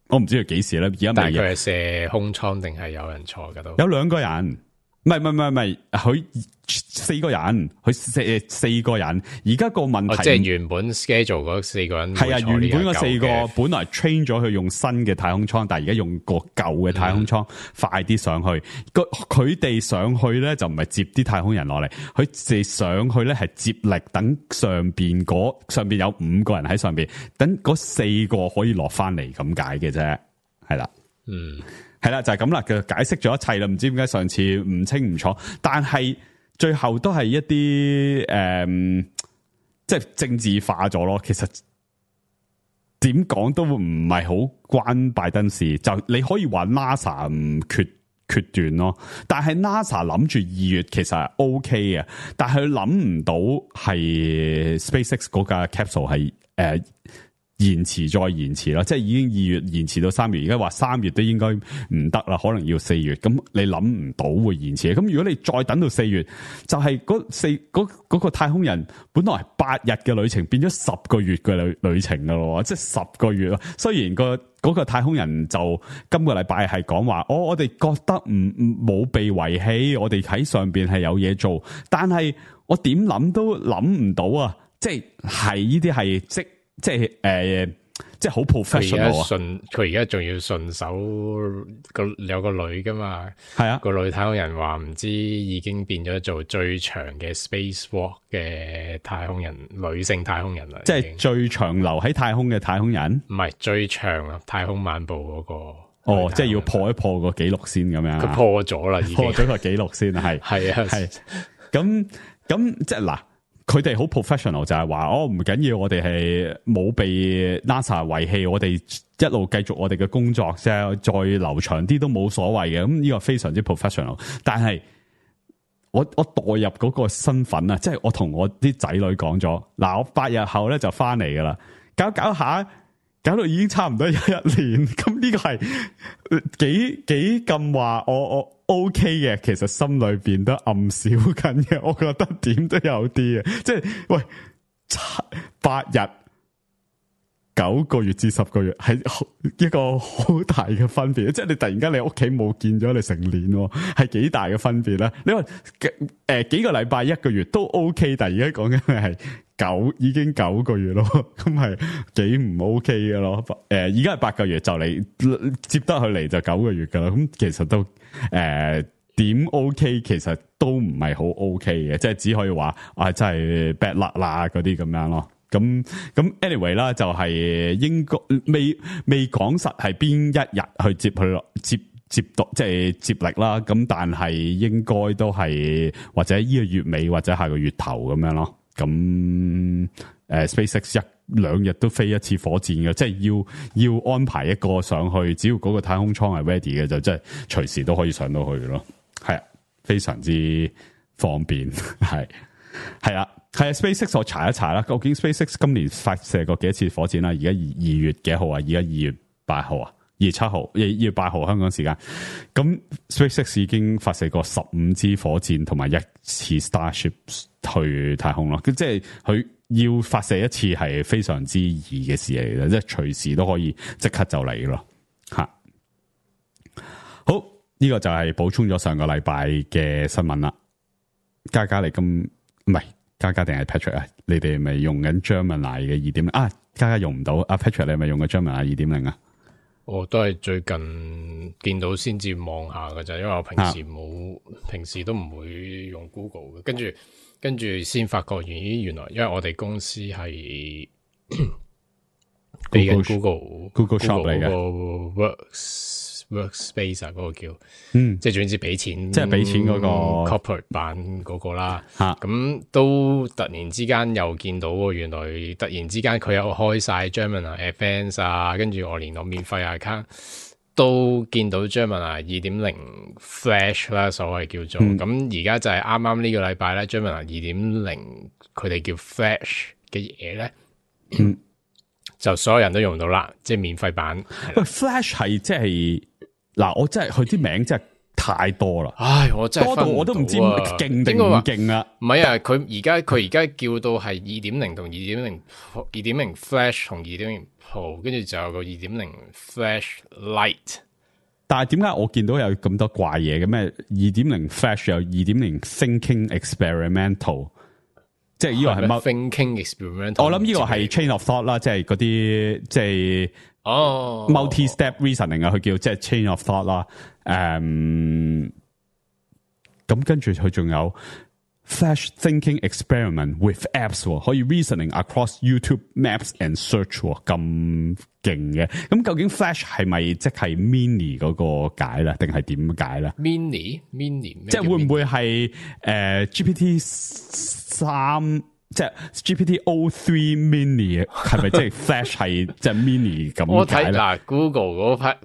我唔知佢幾時咧，而家但係佢係射空艙定係有人坐噶都？有2個人。唔係，佢4個人，佢四個人。而家個問題，即係原本 schedule 嗰4個人係啊，原本嗰4個本來 train 咗佢用新嘅太空艙，但係而家用個舊嘅太空艙快啲上去。佢哋上去咧就唔係接啲太空人落嚟，佢哋上去咧係接力，等上邊有5個人喺上邊，等嗰4個可以落翻嚟咁解嘅啫，係啦，係啦，就係咁啦，佢解釋咗一切啦。唔知點解上次唔清唔楚，但係最後都係一啲即係政治化咗咯。其實點講都唔係好關拜登事，就你可以話 NASA 唔決斷咯。但係 NASA 諗住2月其實係 OK 嘅，但係佢諗唔到係 SpaceX 嗰架 capsule 係延遲再延遲啦，即係已經2月延遲到3月，而家話3月都應該唔得啦，可能要4月。咁你諗唔到會延遲，咁如果你再等到4月，就係嗰個太空人本來係8日嘅旅程，變咗10個月嘅旅程噶咯，即係10個月咯。雖然嗰個太空人就今個禮拜係講話，我哋覺得冇被遺棄，我哋喺上邊係有嘢做，但係我點諗都諗唔到啊！即係呢啲係即係好 professional 啊！佢而家仲要順手有個女噶嘛？係啊，個女太空人話唔知已經變咗做最長嘅 spacewalk 嘅太空人，女性太空人啦，即係最長留喺太空嘅太空人，唔係最長啊！太空漫步嗰個哦，即係要破一破個紀錄先咁樣。佢破咗啦，已經破咗個紀錄先係係咁即係嗱。佢哋好 professional 就係話唔緊要，我哋係冇被 NASA 遺棄，我哋一路繼續我哋嘅工作啫，再留長啲都冇所謂嘅。咁呢個非常之 professional。但係我代入嗰個身份啊，即係我同我啲仔女講咗，嗱，我8日後咧就翻嚟噶啦，搞下，搞到已經差唔多有1年，咁呢個係幾咁話我 OK 嘅，其實心裏邊都暗笑緊嘅，我覺得點都有啲嘅，即係喂8日。9個月至10個月係一個好大嘅分別，即係你突然間你屋企冇見咗你成年，係幾大嘅分別咧？你話幾個禮拜1個月都 OK， 但係而家講緊係已經9個月咯，咁係幾唔 OK 嘅咯？而家係8個月就嚟接得佢嚟就9個月噶啦，咁其實都點 OK， 其實都唔係好 OK 嘅，即係只可以話真係 bad luck 啦嗰啲咁樣咯。咁 anyway 啦，就係應該未講實係邊一日去接佢落接到即係接力啦。咁但係應該都係或者呢個月尾或者下個月頭咁樣咯。咁SpaceX 1-2日都飛一次火箭嘅，即係要安排一個上去，只要嗰個太空艙係 ready 嘅，就即係隨時都可以上到去咯。係啊，非常之方便，係啊。係 SpaceX 我查一查啦，究竟 SpaceX 今年發射過幾多次火箭啦？而家2月幾號啊？而家2月8號啊？2月7號，2月8號香港時間。咁 SpaceX 已經發射過15支火箭同埋1次 Starship 去太空咯。即係佢要發射一次係非常之易嘅事嚟嘅，即係隨時都可以即刻就嚟咯。吓，好，呢個就係補充咗上個禮拜嘅新聞啦。嘉嘉你咁唔係？嘉嘉定係 Patrick 啊？你哋咪用緊 Gemini 嘅2.0啊？嘉嘉用唔到啊 Patrick 你咪用緊 Gemini 2.0啊？我都係最近見到先至望下㗎咋，因為我平時都唔會用 Google 嘅，跟住先發覺原來因為我哋公司係俾緊 Google Shop 嚟嘅。Workspace 啊，嗰個叫，即係總之俾錢，即係俾錢嗰個 corporate 版嗰個啦。咁都突然之間又見到喎，原來突然之間佢又開晒 Gemini Advanced 啊，跟住我連我免費 account 都見到 Gemini 2.0 Flash 啦，所謂叫做。咁而家就係啱啱呢個禮拜咧 ，Gemini 2.0佢哋叫 Flash 嘅嘢咧。就所有人都用到啦，即係免費版。喂 ，Flash 係即係嗱，我真係佢啲名真係太多啦。唉，我真係多到我都唔知勁定唔勁啊！唔係啊，佢而家叫到係 2.0 同 2.0 Flash 同 2.0 Pro， 跟住就有個 2.0 Flash Lite。但係點解我見到有咁多怪嘢嘅咩？ 2.0 Flash 有 2.0 Thinking Experimental。即係呢個係乜 thinking experiment？ 我諗呢個係 chain of thought 啦，即係嗰啲即係multi-step reasoning 啊，佢叫即係 chain of thought 啦。咁跟住佢仲有 flash thinking experiment with apps， 可以 reasoning across YouTube Maps and Search 咁勁嘅。咁究竟 flash 係咪即係 mini 嗰個解咧，定係點解咧 ？mini 即係會唔會係GPT 3即係 GPT-O3 mini 係咪即係 flash 係即係 mini 咁解咧？我睇嗱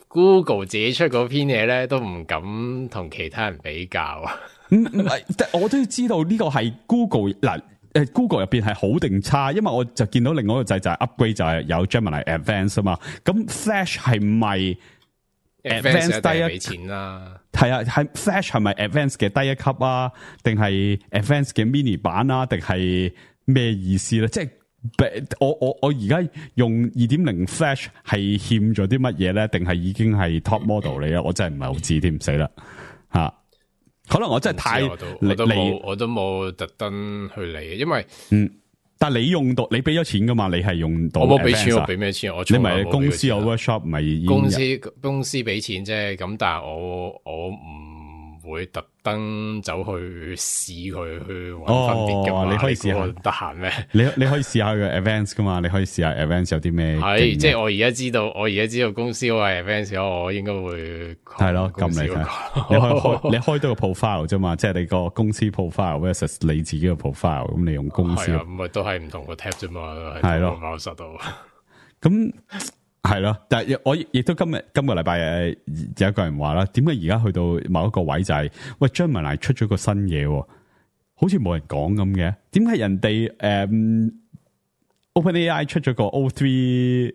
Google 自己出嗰篇嘢咧，都唔敢同其他人比較。唔係，我都要知道呢個係 Google 嗱，Google 入邊係好定差？因為我就見到另外一個掣就係 upgrade 就係有 Gemini Advanced 啊嘛。咁 Flash 係咪 Advanced 第一俾錢啦？係啊，係 Flash 係咪 Advanced 嘅第一級啊？定係 Advanced 嘅 mini 版啊？定係咩意思咧？即係我而家用 2.0 Flash 係欠咗啲乜嘢咧？定係已經係 top model 嚟啊？我真係唔係好知添，唔死啦吓。可能我真係太我都冇特登去理，因為但係你用到你俾咗錢噶嘛？你係用到我冇俾錢，我俾咩錢？你咪公司有 workshop 咪公司俾錢啫。咁但係我唔會特登走去試佢去搵分別噶嘛。你可以試下得閒咩？你可以試下個 Advanced 噶嘛？你可以試下 Advanced 有啲咩？係即係我而家知道公司嗰個 Advanced， 我應該會係咯，撳你睇。你開多個 profile 啫嘛，即係你個公司 profile versus 你自己個 profile， 咁你用公司咁咪都係唔同個 tab 啫嘛，係咯，辦公室度。咁係咯，但係我亦都今個禮拜有一個人話啦，點解而家去到某一個位就係、喂 Gemini 出咗個新嘢，好似冇人講咁嘅？點解人哋OpenAI 出咗個 O3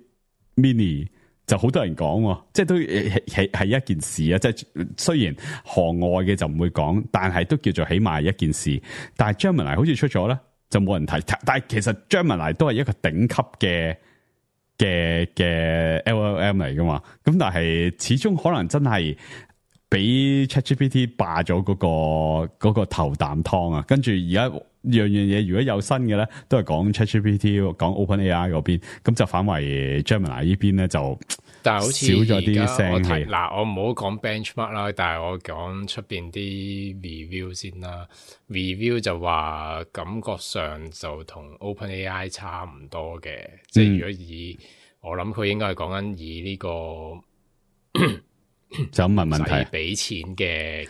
Mini 就好多人講，即係都係一件事啊！即係雖然行外嘅就唔會講，但係都叫做起碼係一件事。但係 Gemini 好似出咗咧，就冇人提。但係其實 Gemini 都係一個頂級嘅 LLM 嚟噶嘛，咁但係始終可能真係俾 ChatGPT 霸咗嗰個頭啖湯啊，跟住而家樣嘢如果有新嘅咧，都係講 ChatGPT 講 OpenAI 嗰邊，咁就反為 Gemini 呢邊咧就，但係好似少咗啲聲氣。嗱，我唔好講 benchmark 啦，但係我講出邊啲 review 先啦。review 就話感覺上就同 OpenAI 差唔多嘅，即係如果我諗佢應該係講緊以呢個就咁問問題，俾錢嘅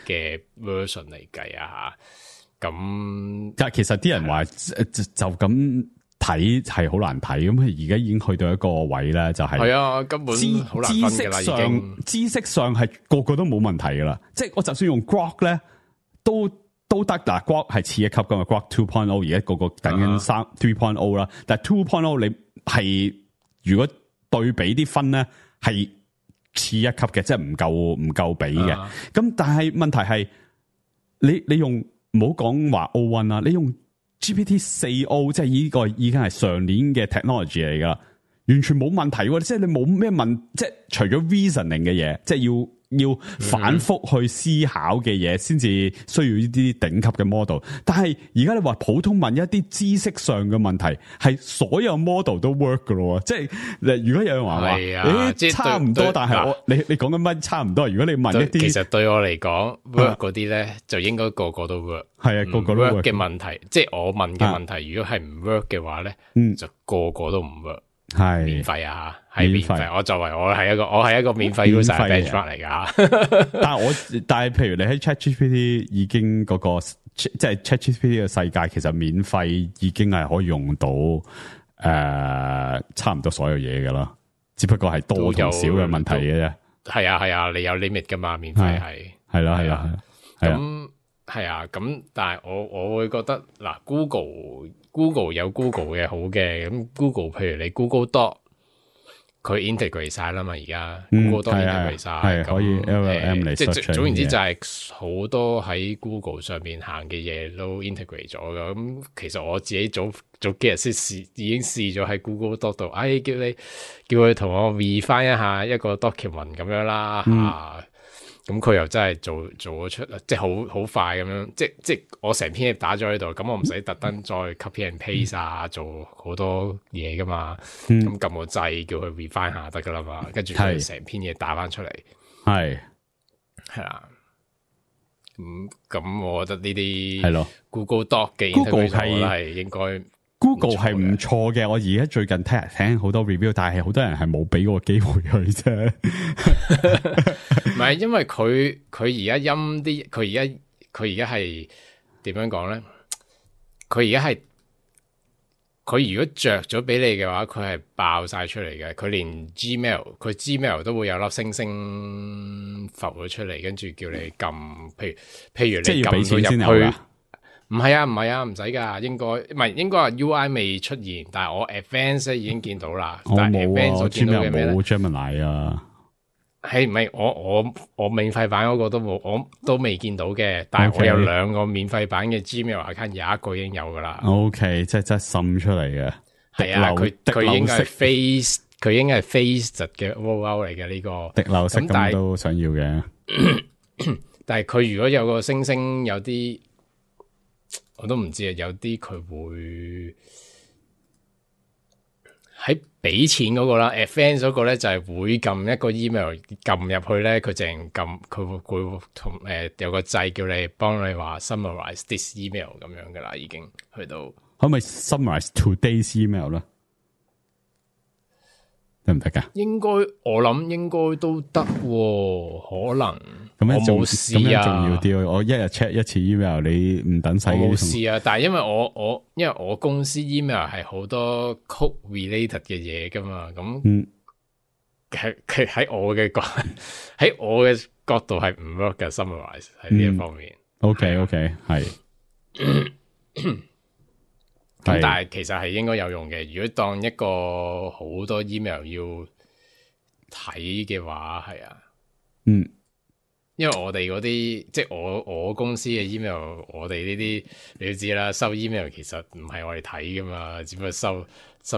version 嚟計啊吓。咁但係其實啲人話就咁睇係好難睇，咁而家已經去到一個位咧，就係啊，根本好難分㗎啦，已經知識上係個個都冇問題噶啦，即係我就算用 Grok 咧都得嗱，Grok 係次一級噶嘛，Grok 2.0 而家個等緊3.0啦，但係 2.0 你係如果對比啲分咧係次一級嘅，即係唔夠比嘅。咁但係問題係你用唔好講話 O1 啦，你用 GPT-4O 即係呢個已經係上年嘅 technology 嚟噶，完全冇問題喎。即係你冇咩問，即係除咗 reasoning 嘅嘢，即係要反覆去思考嘅嘢，先至需要呢啲頂級嘅 model。但係而家你話普通問一啲知識上嘅問題，係所有 model 都 work 噶咯。即係如果有人話差唔多，但係你講緊乜差唔多？如果你問一啲，其實對我嚟講 work 嗰啲咧，就應該個個都 work。係啊，個個都 work 嘅問題，即係我問嘅問題，如果係唔 work 嘅話咧，就個個都唔 work。係免費啊，係免費。我係一個免費 user benchmark 嚟噶。但係譬如你喺 ChatGPT 已經嗰個即係 ChatGPT 嘅世界，其實免費已經係可以用到差唔多所有嘢噶啦，只不過係多同少嘅問題嘅啫。係啊，你有 limit 噶嘛？免費係啦。咁係啊，咁但係我會覺得嗱，Google 有 Google 嘅好嘅，咁 Google 譬如你 Google Doc 佢 integrate 晒啦嘛，而家 Google Doc integrate 晒，係可以 LLM 嚟，即係總言之就係好多喺 Google 上面行嘅嘢都 integrate 咗噶。咁其實我自己早幾日先已經試咗喺 Google Doc 度，叫佢同我 read 翻一下一個 document 咁樣啦咁佢又真係做咗出，即係好快咁樣，即係我成篇嘢打咗喺度，咁我唔使特登再 copy and paste 做好多嘢噶嘛，咁撳個掣叫佢 refine 下得噶啦嘛，跟住佢成篇嘢打翻出嚟，係啦，咁我覺得呢啲係咯 Google Doc 嘅 Google 係應該。Google 係唔錯嘅，我而家最近聽好多 review， 但係好多人係冇俾嗰個機會佢啫。唔係，因為佢而家陰啲，佢而家係點樣講咧？佢如果着咗俾你嘅話，佢係爆晒出嚟嘅。佢連 Gmail 都會有粒星星浮咗出嚟，跟住叫你撳，譬如你撳到入去。唔係啊，唔使噶，應該話 UI 未出現，但係我 Advanced 已經見到啦。我冇啊，Gmail 冇 Gemini 啊。係唔係我免費版嗰個都冇，我都未見到嘅。但係我有兩個免費版嘅 Gmail account，有一個已經有噶啦。OK， 即係真係滲出嚟嘅。係啊，佢應該係 face，佢應該係 face 嘅 rollout 嚟嘅呢個。滴漏式咁都想要嘅。但係佢如果有個星星，有啲。我都唔知啊，有啲佢會喺俾錢嗰個啦 ，advance 嗰個咧就係會撳一個 email 撳入去咧，佢淨撳佢會同有個掣叫你幫你話 summarize this email 咁樣噶啦，已經去到可唔可以 summarize today's email 咧？得唔得噶？我諗應該都得，可能咁樣我冇試啊，重要啲。我一日 check 一次 email， 你唔等使嘅。冇試啊，但係因為我公司 email 係好多 code related 嘅嘢噶嘛，咁喺我嘅角度係唔 work 嘅 summarize 喺呢一方面。OK 係。咁但係其實係應該有用嘅。如果當一個好多 email 要睇嘅話，係啊，因為我哋嗰啲即係我公司嘅 email， 我哋呢啲你都知啦，收 email 其實唔係我哋睇噶嘛，只不過收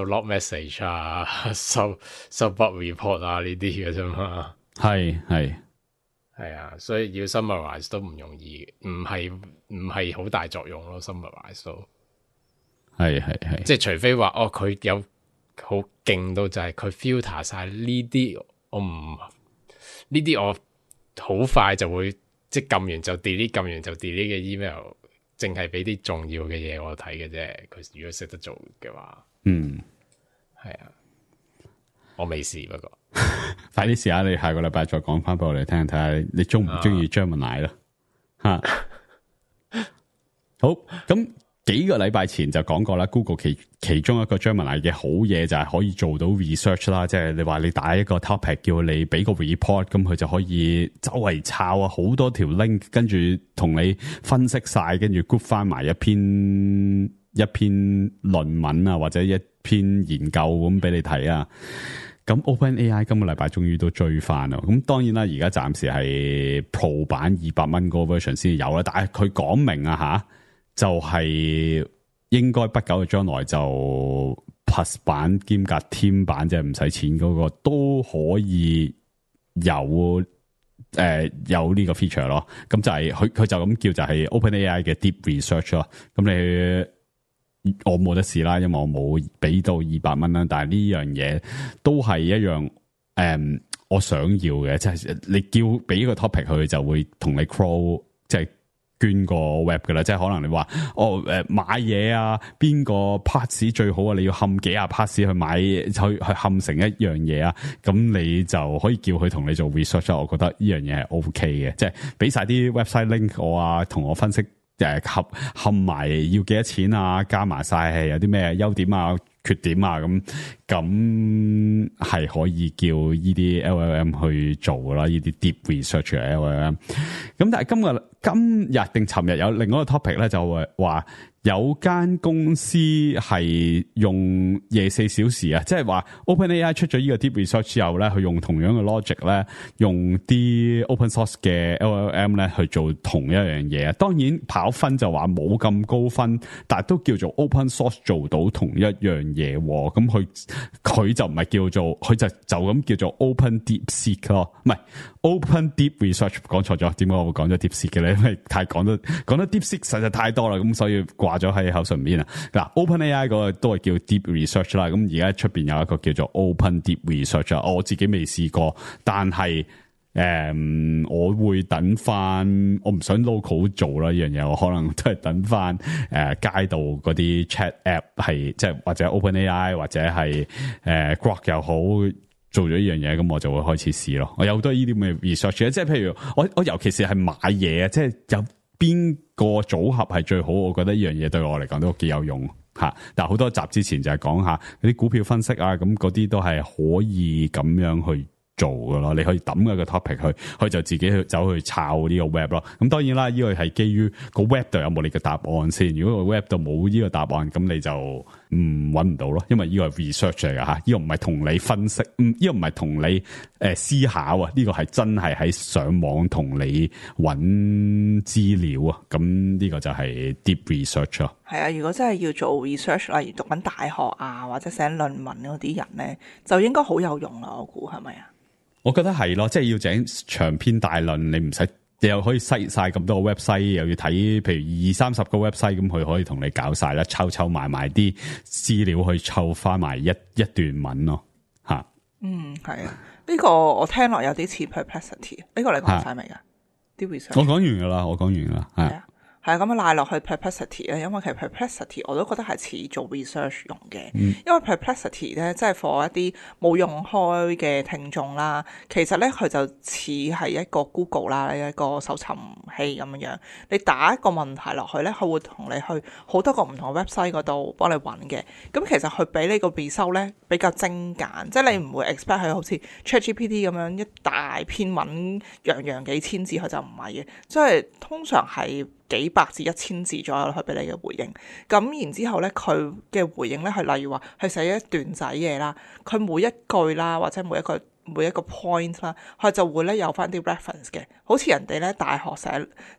log message 啊，收 bug report 啊呢啲嘅啫嘛。係啊，所以要 summarize 都唔容易，唔係好大作用咯 summarize 都。係，即係除非話佢有好勁到就係佢 filter 晒呢啲，我好快就會即係撳完就 delete 嘅 email， 淨係俾啲重要嘅嘢我睇嘅啫。佢如果識得做嘅話，係啊，我未試不過，快啲試下，你下個禮拜再講翻俾我哋聽，睇下你中唔中意 Gemini 啦吓。好，咁。幾個禮拜前就講過啦 ，Google 其中一個 Gemini 嘅好嘢就係可以做到 research 啦，即係你話你打一個 topic 叫你俾個 report， 咁佢就可以周圍抄啊，好多條 link， 跟住同你分析晒，跟住 group 翻埋一篇論文啊，或者一篇研究咁俾你睇啊。咁 OpenAI 今個禮拜終於都追翻啦，咁當然啦，而家暫時係 Pro 版200蚊嗰個 version 先有啦，但係佢講明啊吓。就係應該不久嘅將來就 Plus 版兼夾 Team 版，即係唔使錢嗰個都可以有呢個 feature 咯。咁就係佢就咁叫就係 OpenAI 嘅 Deep Research 咯。咁我冇得試啦，因為我冇俾到200蚊啦。但係呢樣嘢都係一樣我想要嘅，即係你叫俾個 topic 佢就會同你 crawl 即係。捐個 web 噶啦，即係可能你話買嘢啊，邊個 parts 最好啊？你要冚幾啊 parts 去買去冚成一樣嘢啊？咁你就可以叫佢同你做 research。我覺得呢樣嘢係 OK 嘅，即係俾晒啲 website link 我啊，同我分析冚埋要幾多錢啊，加埋晒係有啲咩優點啊、缺點啊，咁係可以叫呢啲 LLM 去做噶啦，呢啲 deep research 嘅 LLM。咁但係今日定尋日有另外一個 topic 咧，就話有間公司係用24小時啊，即係話 OpenAI 出咗呢個 deep research 之後咧，佢用同樣嘅 logic 咧，用啲 open source 嘅 LLM 咧去做同一樣嘢。當然跑分就話冇咁高分，但係都叫做 open source 做到同一樣嘢。咁佢就唔係叫做，佢就咁叫做 Open DeepSeek 咯，唔係 Open Deep Research。講錯咗，點解我會講咗 DeepSeek 嘅咧？因為太講得 DeepSeek 實在太多啦，咁所以掛咗喺口唇邊啊。嗱 ，OpenAI 嗰個都係叫 Deep Research 啦。咁而家出邊有一個叫做 Open Deep Research 啊，我自己未試過，但係我會等翻，我唔想 local 做啦呢樣嘢，我可能都係等翻街度嗰啲 chat app 係即係或者 OpenAI 或者係Grok 又好做咗呢樣嘢，咁我就會開始試咯。我有好多呢啲咁嘅 research， 即係譬如我尤其是係買嘢啊，即係有邊個組合係最好，我覺得呢樣嘢對我嚟講都幾有用吓。但係好多集之前就係講下嗰啲股票分析啊，咁嗰啲都係可以咁樣去做噶咯，你可以抌一個 topic 去就自己去走去抄呢個 web 咯。咁當然啦，呢個係基於個 web 度有冇你嘅答案先。如果個 web 度冇呢個答案，咁你就搵唔到咯。因為呢個係 research 嚟噶吓，呢個唔係同你分析，呢個唔係同你思考啊，呢個係真係喺上網同你搵資料啊。咁呢個就係 deep research 咯。係啊，如果真係要做 research，例如讀緊大學啊或者寫論文嗰啲人咧，就應該好有用啦。我估係咪啊？我覺得係咯，即係要整長篇大論，你唔使，你又可以篩晒咁多個 website， 又要睇譬如20-30個 website， 咁佢可以同你搞晒啦，湊埋啲資料去湊翻埋一段文咯，吓。係啊，呢個我聽落有啲似 Perplexity， 呢個你講晒未噶？啲 research 我講完噶啦，係啊。係咁樣賴落去 Perplexity 咧，因為其實 Perplexity 我都覺得係似做 research 用嘅，因為 Perplexity 咧即係 for 一啲冇用開嘅聽眾啦，其實咧佢就似係一個 Google 啦，一個搜尋器咁樣，你打一個問題落去咧，佢會同你去好多個唔同嘅 website 嗰度幫你揾嘅，咁其實佢俾你個 result 咧比較精簡，即係你唔會 expect 佢好似 ChatGPT 咁樣一大篇文樣幾千字，佢就唔係嘅，即係通常係幾百至1000字左右去俾你嘅回應。咁然之後咧，佢嘅回應咧係例如話係寫一段仔嘢啦，佢每一句啦或者每一個 point 啦，佢就會咧有翻啲 reference 嘅，好似人哋咧大學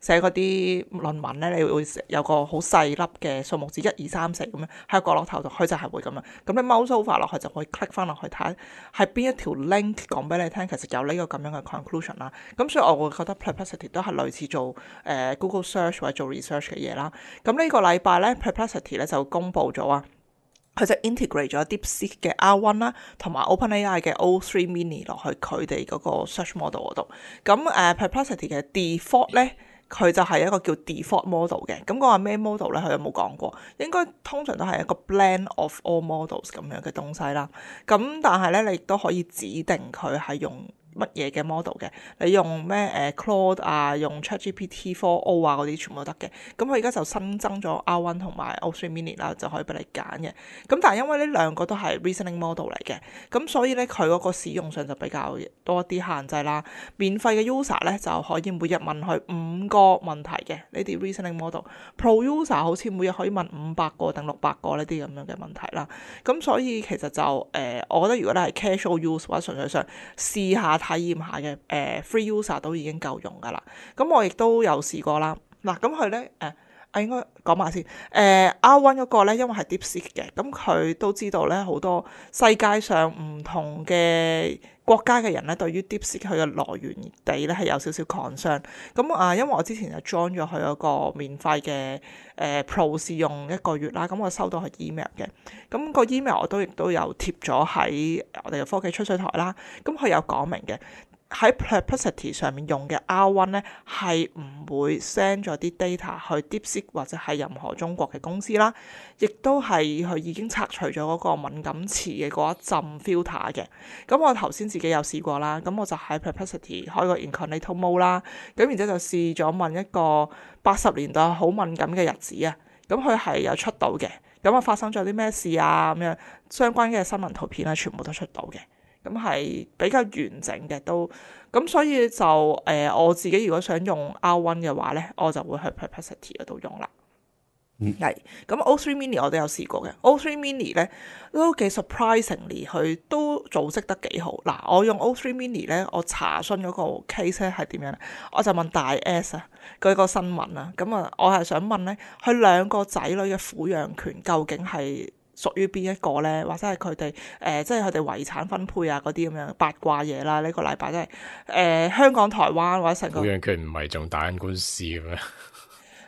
寫嗰啲論文咧，你會有個好細粒嘅數目字1、2、3、4咁樣喺個角落頭度，佢就係會咁樣。咁你 mouse over 落去就可以 click 翻落去睇係邊一條 link 講俾你聽，其實有呢個咁樣嘅 conclusion 啦。咁所以我會覺得 Perplexity 都係類似做Google Search 或者做 research 嘅嘢啦。咁呢個禮拜咧 Perplexity 咧就公布咗啊。佢就 integrate 咗 DeepSeek 嘅 R1 啦，同埋 OpenAI 嘅 O3 Mini 落去佢哋嗰個 search model 嗰度。咁Perplexity 嘅 default 咧，佢就係一個叫 default model 嘅。咁講下咩 model 咧？佢有冇講過？應該通常都係一個 blend of all models 咁樣嘅東西啦。咁但係咧，你亦都可以指定佢係用乜嘢嘅 model 嘅，你用咩Claude 啊，用 ChatGPT 4o 啊嗰啲全部都得嘅。咁佢而家就新增咗 R1 同埋 O3 Mini 啦，就可以俾你揀嘅。咁但係因為呢兩個都係 reasoning model 嚟嘅，咁所以咧佢嗰個使用上就比較多一啲限制啦。免費嘅 user 咧就可以每日問佢5個問題嘅呢啲 reasoning model。Pro user 好似每日可以問500個定600個呢啲咁樣嘅問題啦。咁所以其實就我覺得如果你係 casual use 或者純粹想試下體驗下嘅free user 都已經夠用噶啦。咁我亦都有試過啦。嗱，咁佢咧應該講埋先。R1 嗰個咧，因為係 DeepSeek 嘅，咁佢都知道咧好多世界上唔同嘅國家嘅人咧，對於 DeepSeek 佢嘅來源地咧係有少少 concern。咁因為我之前就 join 咗佢嗰個免費嘅Pro 試用1個月啦，咁我收到佢 email 嘅。咁個 email 我亦都有貼咗喺我哋嘅科技吹水台啦。咁佢有講明嘅。喺 Perplexity 上面用嘅 R1 咧係唔會 send 咗啲 data 去 DeepSeek 或者係任何中國嘅公司啦，亦都係佢已經拆除咗嗰個敏感詞嘅嗰一陣 filter 嘅。咁我頭先自己有試過啦，咁我就喺 Perplexity 開個 incognito mode 啦，咁然之後就試咗問一個80年代好敏感嘅日子啊，咁佢係有出到嘅，咁發生咗啲咩事啊咁樣相關嘅新聞圖片啊，全部都出到嘅。咁係比較完整嘅都，咁所以就我自己如果想用 R1 嘅話咧，我就會去 Perplexity 嗰度用啦。係，咁 O3 Mini 我都有試過嘅。O3 Mini 咧都幾 surprisingly，佢都組織得幾好。嗱，我用 O3 Mini 咧，我查詢嗰個 case 咧係點樣咧？我就問大 S 啊，嗰個新聞啊，咁我係想問咧，佢2個仔女嘅撫養權究竟係屬於邊一個咧？或者係佢哋即係佢哋遺產分配啊嗰啲咁樣八卦嘢啦。呢個禮拜真係香港、台灣或者成個撫養權唔係仲打緊官司嘅咩？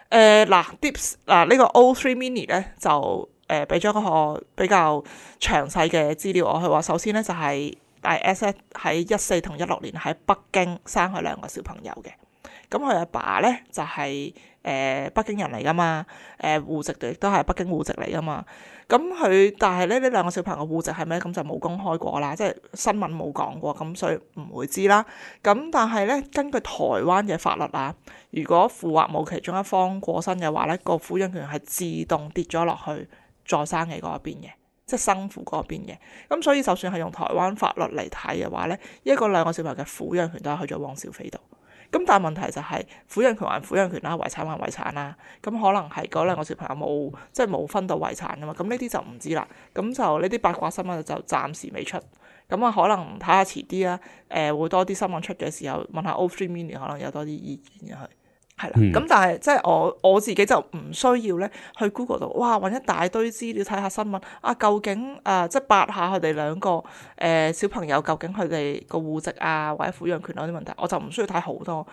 呢個 O3 Mini 咧就俾咗個比較詳細嘅資料我。佢話首先咧就係大 S 喺14同16年喺北京生佢2個小朋友嘅。咁佢阿爸咧就係北京人嚟噶嘛，戶籍亦都係北京戶籍嚟噶嘛。咁佢但係咧呢2個小朋友戶籍係咩？咁就冇公開過啦，即係新聞冇講過，咁所以唔會知啦。咁但係咧根據台灣嘅法律啊，如果父或母其中一方過身嘅話咧，個撫養權係自動跌咗落去再生嘅嗰一邊嘅，即係生父嗰邊嘅。咁所以就算係用台灣法律嚟睇嘅話咧，2個小朋友嘅撫養權都係去咗汪小菲度。咁但係問題就係撫養權還撫養權啦，遺產還遺產啦。咁可能係嗰2個小朋友冇分到遺產噶嘛。咁呢啲就唔知啦。咁就呢啲八卦新聞就暫時未出。咁可能睇下遲啲啊，會多啲新聞出嘅時候問下 O3 Mini 可能有多啲意見嘅佢。係啦，咁但係即係我自己就唔需要咧去 Google 度，哇揾一大堆資料睇下新聞啊，究竟即係8下佢哋2個小朋友究竟佢哋個戶籍啊或者撫養權嗰啲問題，我就唔需要睇好多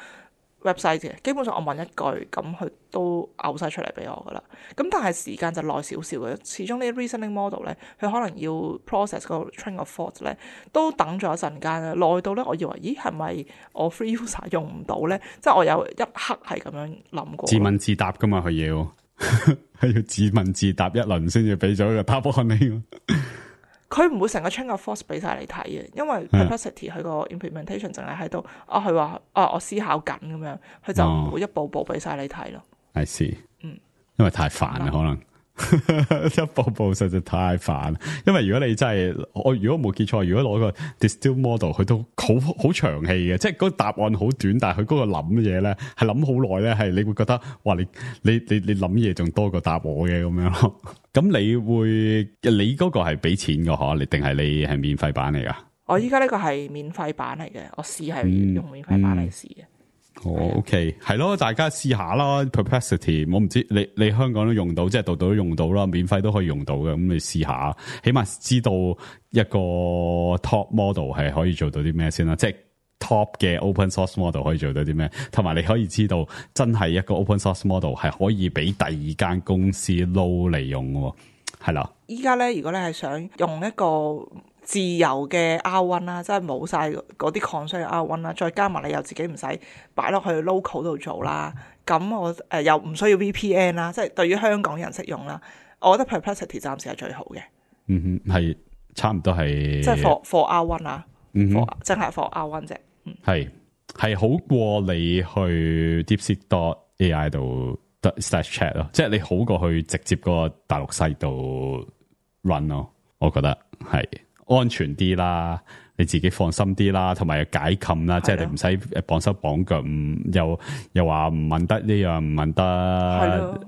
website 嘅，基本上我問一句，咁佢都嘔晒出嚟俾我噶啦。咁但係時間就耐少少嘅，始終呢啲 reasoning model 咧，佢可能要 process 個 train of thought 咧，都等咗一陣間啦，耐到咧，我以為咦係咪我 free user 用唔到咧？即係我有一刻係咁樣諗過。自問自答噶嘛，佢要係要自問自答一輪先至俾咗個答案你。佢唔會成個 train of thought 俾晒你睇嘅，因為 Perplexity 佢個 implementation 淨係喺度佢話我思考緊咁樣，佢就唔會一步步俾晒你睇咯。I see，因為太煩啦，可能一步步實在太煩。因為如果你真係如果冇記錯，如果攞個 distill model，佢都好長氣嘅，即係嗰個答案好短，但係佢嗰個諗嘢咧係諗好耐咧，係你會覺得哇，你諗嘢仲多過答我嘅咁樣咯。咁你嗰個係俾錢嘅嗬？你定係你係免費版嚟噶？我依家呢個係免費版嚟嘅，我試係用免費版嚟試嘅。OK， 係咯，大家試下啦。Perplexity， 我唔知你香港都用到，即係度度都用到啦，免費都可以用到嘅。咁你試下，起碼知道一個 top model 係可以做到啲咩先啦。即係 top 嘅 open source model 可以做到啲咩，同埋你可以知道真係一個 open source model 係可以俾第二間公司撈嚟用嘅，係啦。依家咧，如果你係想用一個自由嘅 R1 啦，即係冇晒嗰啲 constraint 嘅 R1 啦，再加埋你又自己唔使擺落去 local 度做啦，咁我又唔需要 VPN 啦，即係對於香港人適用啦，我覺得 Perplexity 暫時係最好嘅。係差唔多係即係 for R1 啊，淨係 for R1 啫。係好過你去 DeepSeek.ai 度 slash chat 咯，即係你好過去直接個大陸西度 run 咯，我覺得係安全啲啦，你自己放心啲啦，同埋又解禁啦，即係你唔使綁手綁腳，又話唔問得呢樣唔問得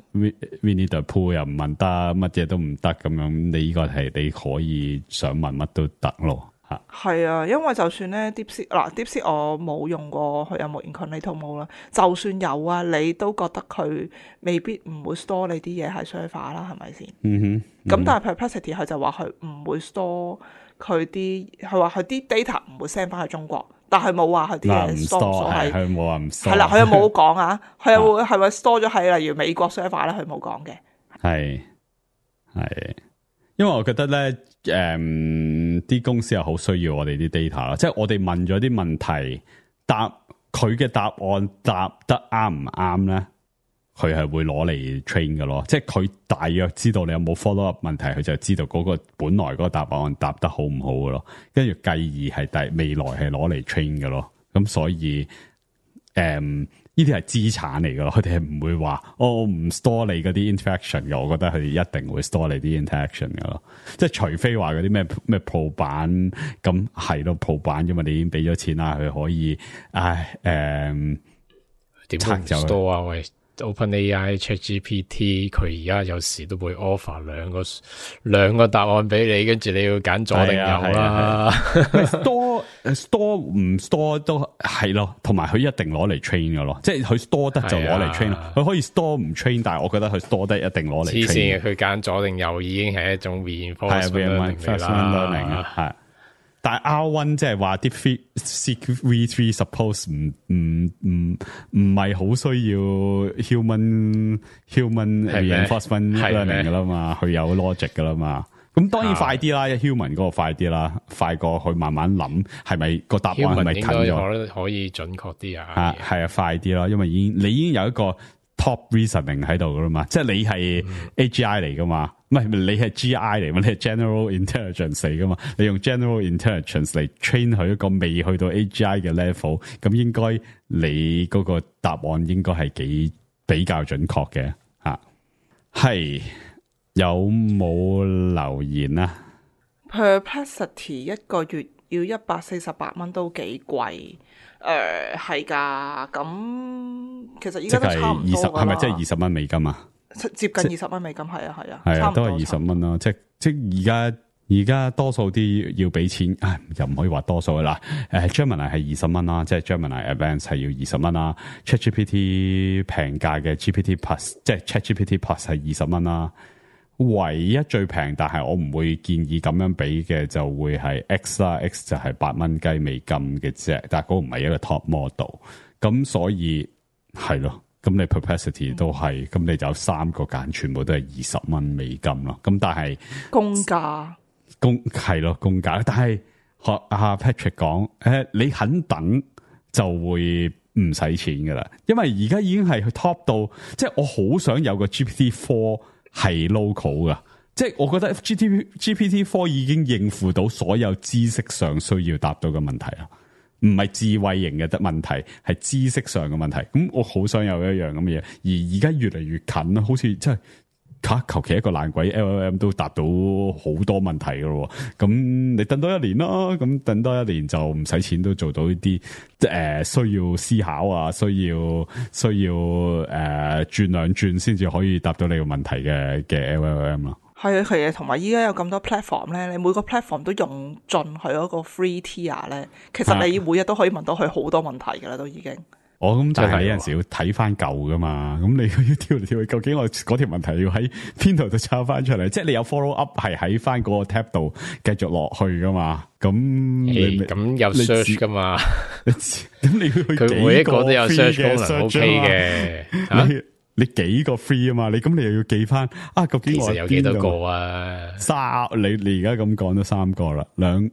Winnie the Pooh 又唔問得，乜嘢都唔得咁樣，你呢個係你可以想問乜都得咯。係啊，因為就算咧 DeepSeek 我冇用過，佢有冇 incognito mode 啦，就算有啊，你都覺得佢未必唔會 store 你啲嘢喺 server 啦，係咪先？咁但係 Perplexity 佢就話佢唔會 store 佢話佢啲 data 唔會 send 翻去中國，但係冇話佢啲嘢 store 係佢冇話唔 store， 係啦，佢又冇講啊，佢又會係咪 store 咗喺例如美國 server 咧？佢冇講嘅。係，因為我覺得咧，啲公司又好需要我哋啲 data 啦，即係我哋問咗啲問題，佢嘅答案答得啱唔啱咧，佢係會攞嚟 train 嘅咯，即係佢大約知道你有冇 follow up 問題，佢就知道嗰個本來嗰個答案答得好唔好嘅咯，跟住繼而係未來係攞嚟 train 嘅咯，咁所以呢啲係資產嚟噶咯，佢哋係唔會話我唔 store 你嗰啲 interaction 嘅，我覺得佢哋一定會 store 你啲 interaction 噶咯，即係除非話嗰啲咩 Pro 版咁係咯 Pro 版，因為你已經俾咗錢啦，佢可以點拆就 store 啊喂。OpenAI ChatGPT 佢而家有時都會 offer 兩個答案俾你，跟住你要揀左定右啦。store 唔 store 都係咯，同埋佢一定攞嚟 train 噶咯，即係佢 store 得就攞嚟 train 咯。佢可以 store 唔 train，但係我覺得佢 store 得一定攞嚟 train。黐線嘅，佢揀左定右已經係一種 reinforcement learning 啦。係。但係 R1 即係話啲 V3 suppose 唔係好需要 human reinforcement learning 噶啦嘛，佢有 logic 噶啦嘛。咁當然快啲啦，human 嗰個快啲啦，快過去慢慢諗係咪個答案係咪近咗？可以準確啲啊。係啊，快啲啦，因為你已經有一個 top reasoning 喺度噶啦嘛，即係你係 AGI 嚟噶嘛。唔係你係 GI 嚟嘛？你係 General Intelligence 嚟噶嘛？你用 General Intelligence 嚟 train 佢一個未去到 AGI 嘅 level， 咁應該你嗰個答案應該係比較準確嘅吓。係有冇留言啊 ？Perplexity 一個月要148蚊都幾貴，係噶。咁其實依家都差唔多噶啦。係咪即係20蚊美金啊？接近20蚊美金，係啊，都係20蚊咯。即而家多數啲要俾錢，又唔可以話多數啦。Gemini 係20蚊啦，即係 Gemini Advanced 係要20蚊啦。ChatGPT 平價嘅 GPT Plus， 即係 ChatGPT Plus 係20蚊啦。唯一最平，但係我唔會建議咁樣俾嘅，就會係 X 啦。X 就係8蚊雞美金嘅啫，但係嗰個唔係一個 top model。咁所以係咯。咁你 Perplexity 都係，咁你就有3個揀，全部都係20蚊美金咯。咁但係公價係咯，公價。但係學阿 Patrick 講，你肯等就會唔使錢噶啦，因為而家已經係 top 到，即係我好想有個 GPT-4 係 local 噶，即係我覺得 GPT-4 已經應付到所有知識上需要答到嘅問題啦。唔係智慧型嘅問題，係知識上嘅問題。咁我好想有一樣咁嘅嘢，而而家越嚟越近啦，好似真係求其一個爛鬼 LLM 都答到好多問題噶咯。咁你等多1年啦，咁等多1年就唔使錢都做到呢啲需要思考啊，需要轉兩轉先至可以答到你個問題嘅 LLM 咯。係啊，係啊，同埋依家有咁多 platform 咧，你每個 platform 都用盡佢嗰個 free tier 咧，其實你每日都可以問到佢好多問題噶啦，都已經。咁但係有陣時要睇翻舊噶嘛，咁你要跳嚟跳去，究竟我嗰條問題要喺邊度度抄翻出嚟？即係你有 follow up 係喺翻嗰個 tab 度繼續落去噶嘛？咁咁有 search 噶嘛？咁你要去佢每一個都有 search 功能 OK 嘅。你幾個 free 啊嘛？你咁你又要記翻究竟我其實有幾多個啊？3，你而家咁講都3個啦，兩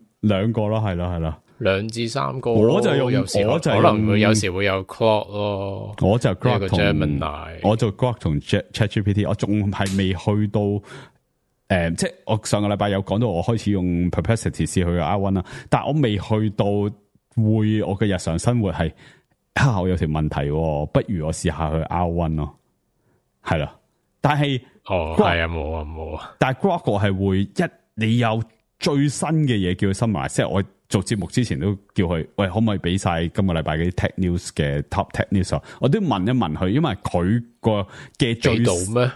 個咯，係咯。2至3個，我就用，我就可能會有時會有 Claude 咯，我就 Grok 同 Gemini，我就 Grok 同 ChatGPT， 我仲係未去到即係我上個禮拜有講到我開始用 Perplexity 試去 R1 啦，但係我未去到我嘅日常生活係我有條問題，不如我試下去 R1 咯，係啦，但係係啊，冇啊，但係 Grok 我係會你有最新嘅嘢叫佢 summarize， 即係我做節目之前都叫佢，喂，可唔可以俾晒今個禮拜嗰啲 tech news 嘅 top tech news？ 我都問一問佢，因為佢個嘅最到咩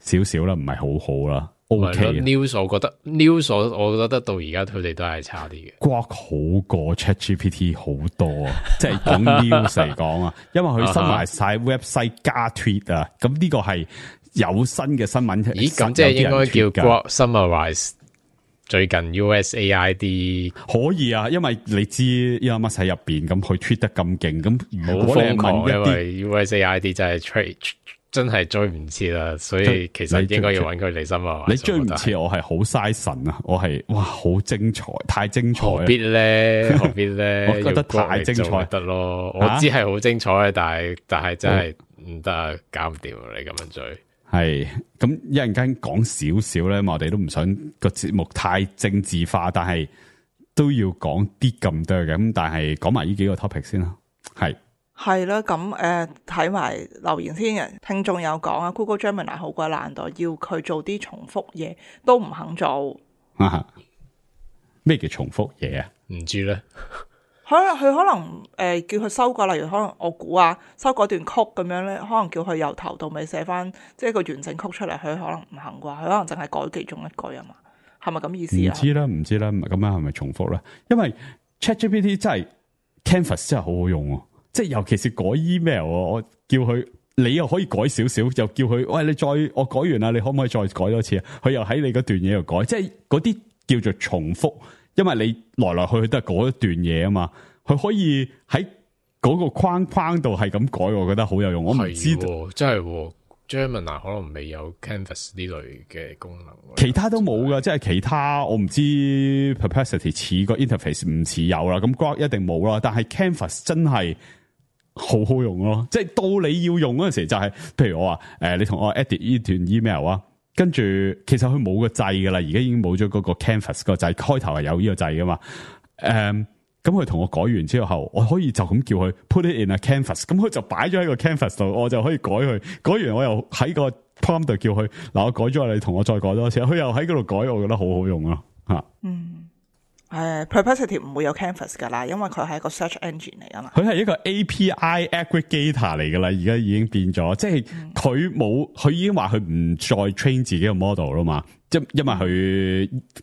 少少啦，唔係好好啦。OK news 我覺得 news 我覺得到而家佢哋都係差啲嘅。Grok 好過 ChatGPT 好多啊，即係講 news 嚟講啊，因為佢summarize晒 website 加 tweet 啊，咁呢個係有新嘅新聞。咦，咁即係應該叫 Grok summarize。最近 USAID 可以啊，因為你知 Elon Musk 喺入邊，咁佢 tweet 得咁勁，咁如果你瘋狂，問一啲因為 USAID 真係真係追唔切啦，所以其實應該要揾佢嚟心啊。你追唔切，我係好嘥神啊！我係哇，好精彩，太精彩，何必咧？何必咧？我覺得太精彩得咯。我知係好精彩嘅，但係真係唔得啊，搞唔掂你咁樣追。係咁一陣間講少少咧，我哋都唔想個節目太政治化，但係都要講啲咁多嘅。咁但係講埋呢幾個 topic 先啦。係啦，咁睇埋留言先。聽眾有講啊 ，Google Gemini 好鬼懶惰，要佢做啲重複嘢都唔肯做。咩叫重複嘢啊？唔知咧。佢可能叫佢修改，例如可能我估修改段曲咁樣咧，可能叫佢由頭到尾寫翻即係個完整曲出嚟，佢可能唔肯啩，佢可能淨係改其中一句啊嘛，係咪咁意思啊？唔知啦，咁樣係咪重複咧？因為 ChatGPT 真係 Canvas 真係好好用啊，即係尤其是改 email， 我叫佢你又可以改少少，又叫佢喂，你我改完啦，你可唔可以再改多次啊？佢又喺你嗰段嘢度改，即係嗰啲叫做重複。因為你來來去去都係嗰一段嘢啊嘛，佢可以喺嗰個框度係咁改，我覺得好有用。我唔知道，真係 Gemini 可能未有 Canvas 呢類嘅功能，其他都冇噶，即係其他我唔知 Perplexity 似個 interface 唔似有啦，咁 Grok 一定冇啦。但係 Canvas 真係好好用咯，即係到你要用嗰陣時就係，譬如我話你同我 edit 呢段 email 啊。跟住，其實佢冇個掣噶啦，而家已經冇咗嗰個 Canvas 個掣，開頭係有呢個掣噶嘛。咁佢同我改完之後，我可以就咁叫佢 put it in a Canvas，咁佢就擺咗喺個 Canvas 度，我就可以改佢。改完我又喺個 prompt 度叫佢，嗱，我改咗，你同我再改多次，佢又喺嗰度改，我覺得好好用咯，吓。Perplexity 唔會有 Canvas 噶啦，因為佢係一個 search engine 嚟噶嘛。佢係一個 API aggregator 嚟噶啦，而家已經變咗，即係佢已經話佢唔再 train 自己嘅 model 啦嘛。因為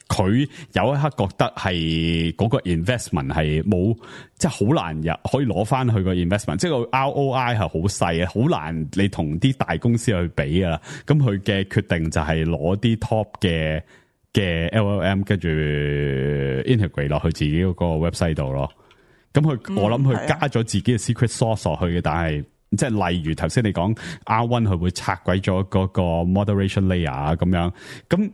佢有一刻覺得係嗰個 investment 係冇，即係好難可以攞翻佢個 investment，即係個 ROI 係好細啊，好難你同啲大公司去比噶啦。咁佢嘅決定就係攞啲 top 嘅 LLM 跟住 integrate 落去自己嗰個 website 度咯。咁我諗佢加咗自己嘅 secret sauce 落去嘅，但係即係例如頭先你講 R1 佢會拆鬼咗嗰個 moderation layer 啊咁樣，咁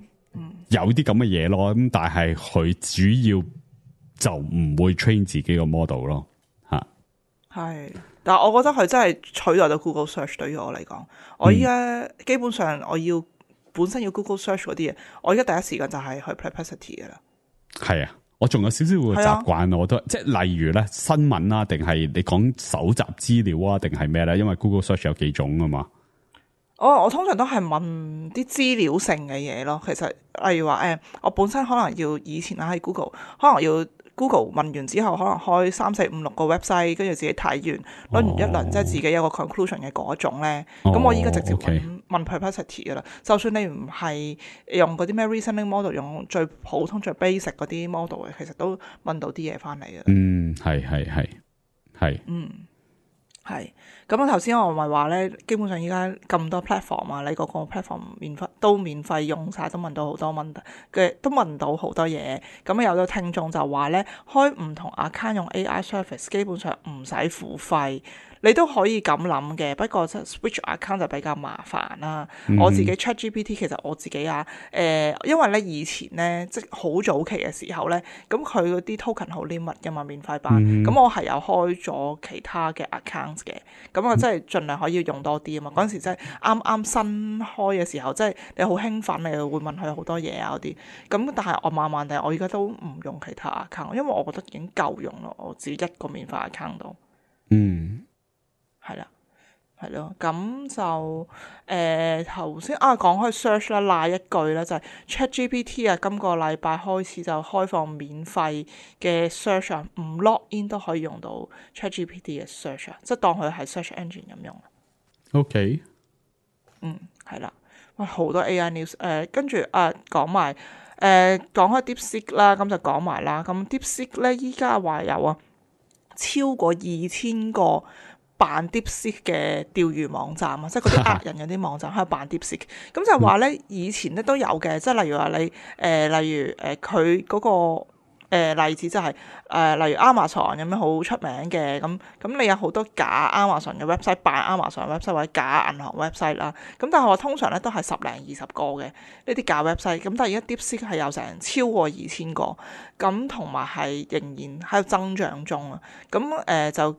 有啲咁嘅嘢咯。咁但係佢主要就唔會 train 自己個 model 咯，嚇。係，但係我覺得佢真係取代到 Google Search 對於我嚟講，我依家基本上我要本身要 Google Search 嗰啲嘢，我依家第一時間就係去 Perplexity 嘅啦。係啊。我仲有少少會習慣，我都即係例如咧新聞啊，定係你講搜集資料啊，定係咩咧？因為 Google Search 有幾種啊嘛。我通常都係問啲資料性嘅嘢咯。其實例如話我本身可能要以前喺 Google， 可能要 Google 問完之後，可能開3、4、5、6個 website， 跟住自己睇完，攞完一輪即係自己有個 conclusion 嘅嗰種咧。咁我依家直接問 Perplexity 噶啦。就算你唔係用嗰啲咩 reasoning model， 用最普通最 basic 嗰啲 model 嘅，其實都問到啲嘢翻嚟嘅。係。係，咁啊頭先我咪話咧，基本上依家咁多 platform 啊，你個個 platform 免費用晒，都問到好多問題嘅，都問到好多嘢。咁有個聽眾就話咧，開唔同 account 用 AI service 基本上唔使付費。你都可以咁諗嘅，不過 switch account 就比較麻煩啦。我自己 ChatGPT 其實我自己因為咧以前咧即係好早期嘅時候咧，咁佢嗰啲 token 好 limit 㗎嘛，免費版。咁我係有開咗其他嘅 account 嘅，咁我真係盡量可以用多啲啊嘛。嗰陣時真係啱啱新開嘅時候，即係你好興奮，你會問佢好多嘢啊嗰啲。咁但係我慢慢地，我而家都唔用其他 account，因為我覺得已經夠用咯。我自己一個免費 account 度。係啦，係咯，咁就頭先講開 search 啦，賴一句咧就係 ChatGPT 啊，今個禮拜開始就開放免費嘅 search 啊，唔 log in 都可以用到 ChatGPT 嘅 search 啊，即係當佢係 search engine 咁用。OK， 係啦，哇，好多 AI news， 跟住講埋講開 DeepSeek 啦，咁就講埋啦，咁 DeepSeek 咧依家話有超過2000個扮 DeepSeek 嘅釣魚網站啊，即係嗰啲呃人嗰啲網站喺度扮 DeepSeek，咁就話咧以前咧都有嘅，即係例如話你例如佢嗰個例子就係例如 Amazon 咁樣好出名嘅，咁你有好多假 Amazon 嘅 website， 扮 Amazon website 或者假銀行 website 啦，咁但係我通常咧都係10零20個嘅呢啲假 website，咁但係而家 DeepSeek 係有成超過2000個，咁同埋係仍然喺度增長中啊，咁就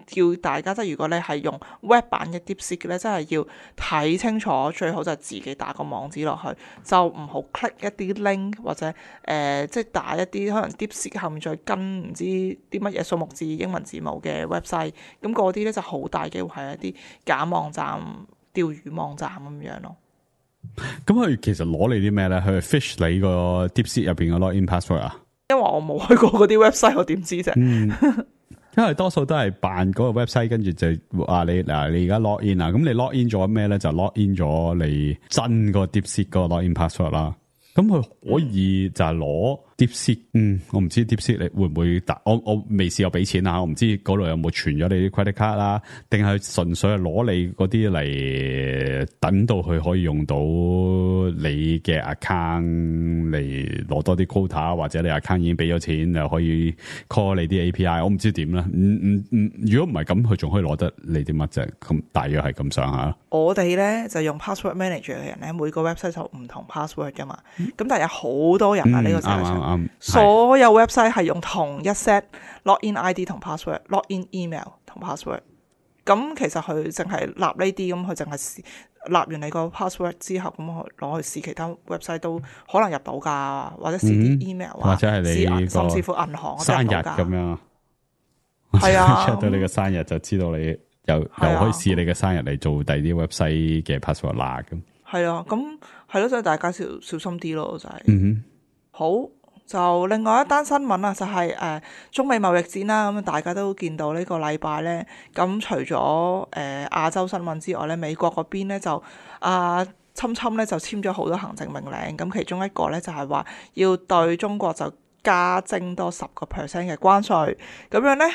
叫大家即係如果你係用 web 版嘅 DeepSeek 咧，真係要睇清楚，最好就自己打個網址落去，就唔好 click 一啲 link 或者即係打一啲可能 DeepSeek 後面再跟唔知啲乜嘢數目字英文字母嘅 website， 咁嗰啲咧就好大機會係一啲假網站、釣魚網站咁樣咯。咁佢其實攞你啲咩咧？佢 fish 你個 DeepSeek 入邊嘅 login password 啊？因為我冇去過嗰啲 website， 我點知啫？因為多數都係扮嗰個 website， 跟住就話你而家 log in 啊，咁你 log in 咗咩咧？就 log in 咗你真個 DeepSeek 嗰個 login password 啦。咁佢可以就係攞 DeepSeek，我唔知 DeepSeek 你會唔會我未試過俾錢啊，我唔知嗰度有冇存咗你啲 credit card 啦，定係純粹係攞你嗰啲嚟等到佢可以用到你嘅 account 嚟攞多啲 quota， 或者你 account 已經俾咗錢就可以 call 你啲 API， 我唔知點啦。如果唔係咁，佢仲可以攞得你啲乜啫？咁大約係咁上下。我哋咧就用 password manager 嘅人咧，每個 website 就唔同 password 噶嘛。咁但係有好多人啊，呢個世界上所有 website 係用同一 set login ID 同 password、login email 同 password。咁其實佢淨係立呢啲，咁佢淨係立完你個 password 之後，咁攞去試其他 website 都可能入到㗎，或者試啲 email 啊，或者係你甚至乎銀行生日咁樣。係啊，check 到你嘅生日就知道你又可以試你嘅生日嚟做第二啲 website 嘅 password 啦咁。係啊，咁係咯，所以大家小心啲咯，就係。好，就另外一單新聞啊，就係中美貿易戰啦，咁大家都見到呢個禮拜咧，咁除咗亞洲新聞之外咧，美國嗰邊咧就侵咧就簽咗好多行政命令，咁其中一個咧就係話要對中國就加徵多10% 嘅關稅，咁樣咧。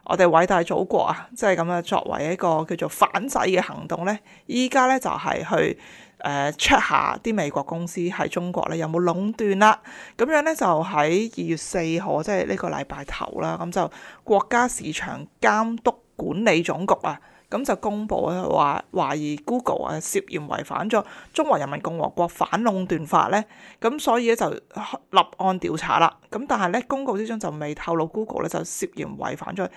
我哋偉大祖國啊，即係咁樣作為一個叫做反制嘅行動咧，依家咧就係去check 下啲美國公司喺中國咧有冇壟斷啦。咁樣咧就喺2月4號，即係呢個禮拜頭啦，咁就國家市場監督管理總局啊，咁就公佈咧話懷疑 Google 啊涉嫌違反咗中華人民共和國反壟斷法咧，咁所以咧就立案調查啦。咁但係咧公告之中就未透露 Google 咧就涉嫌違反咗。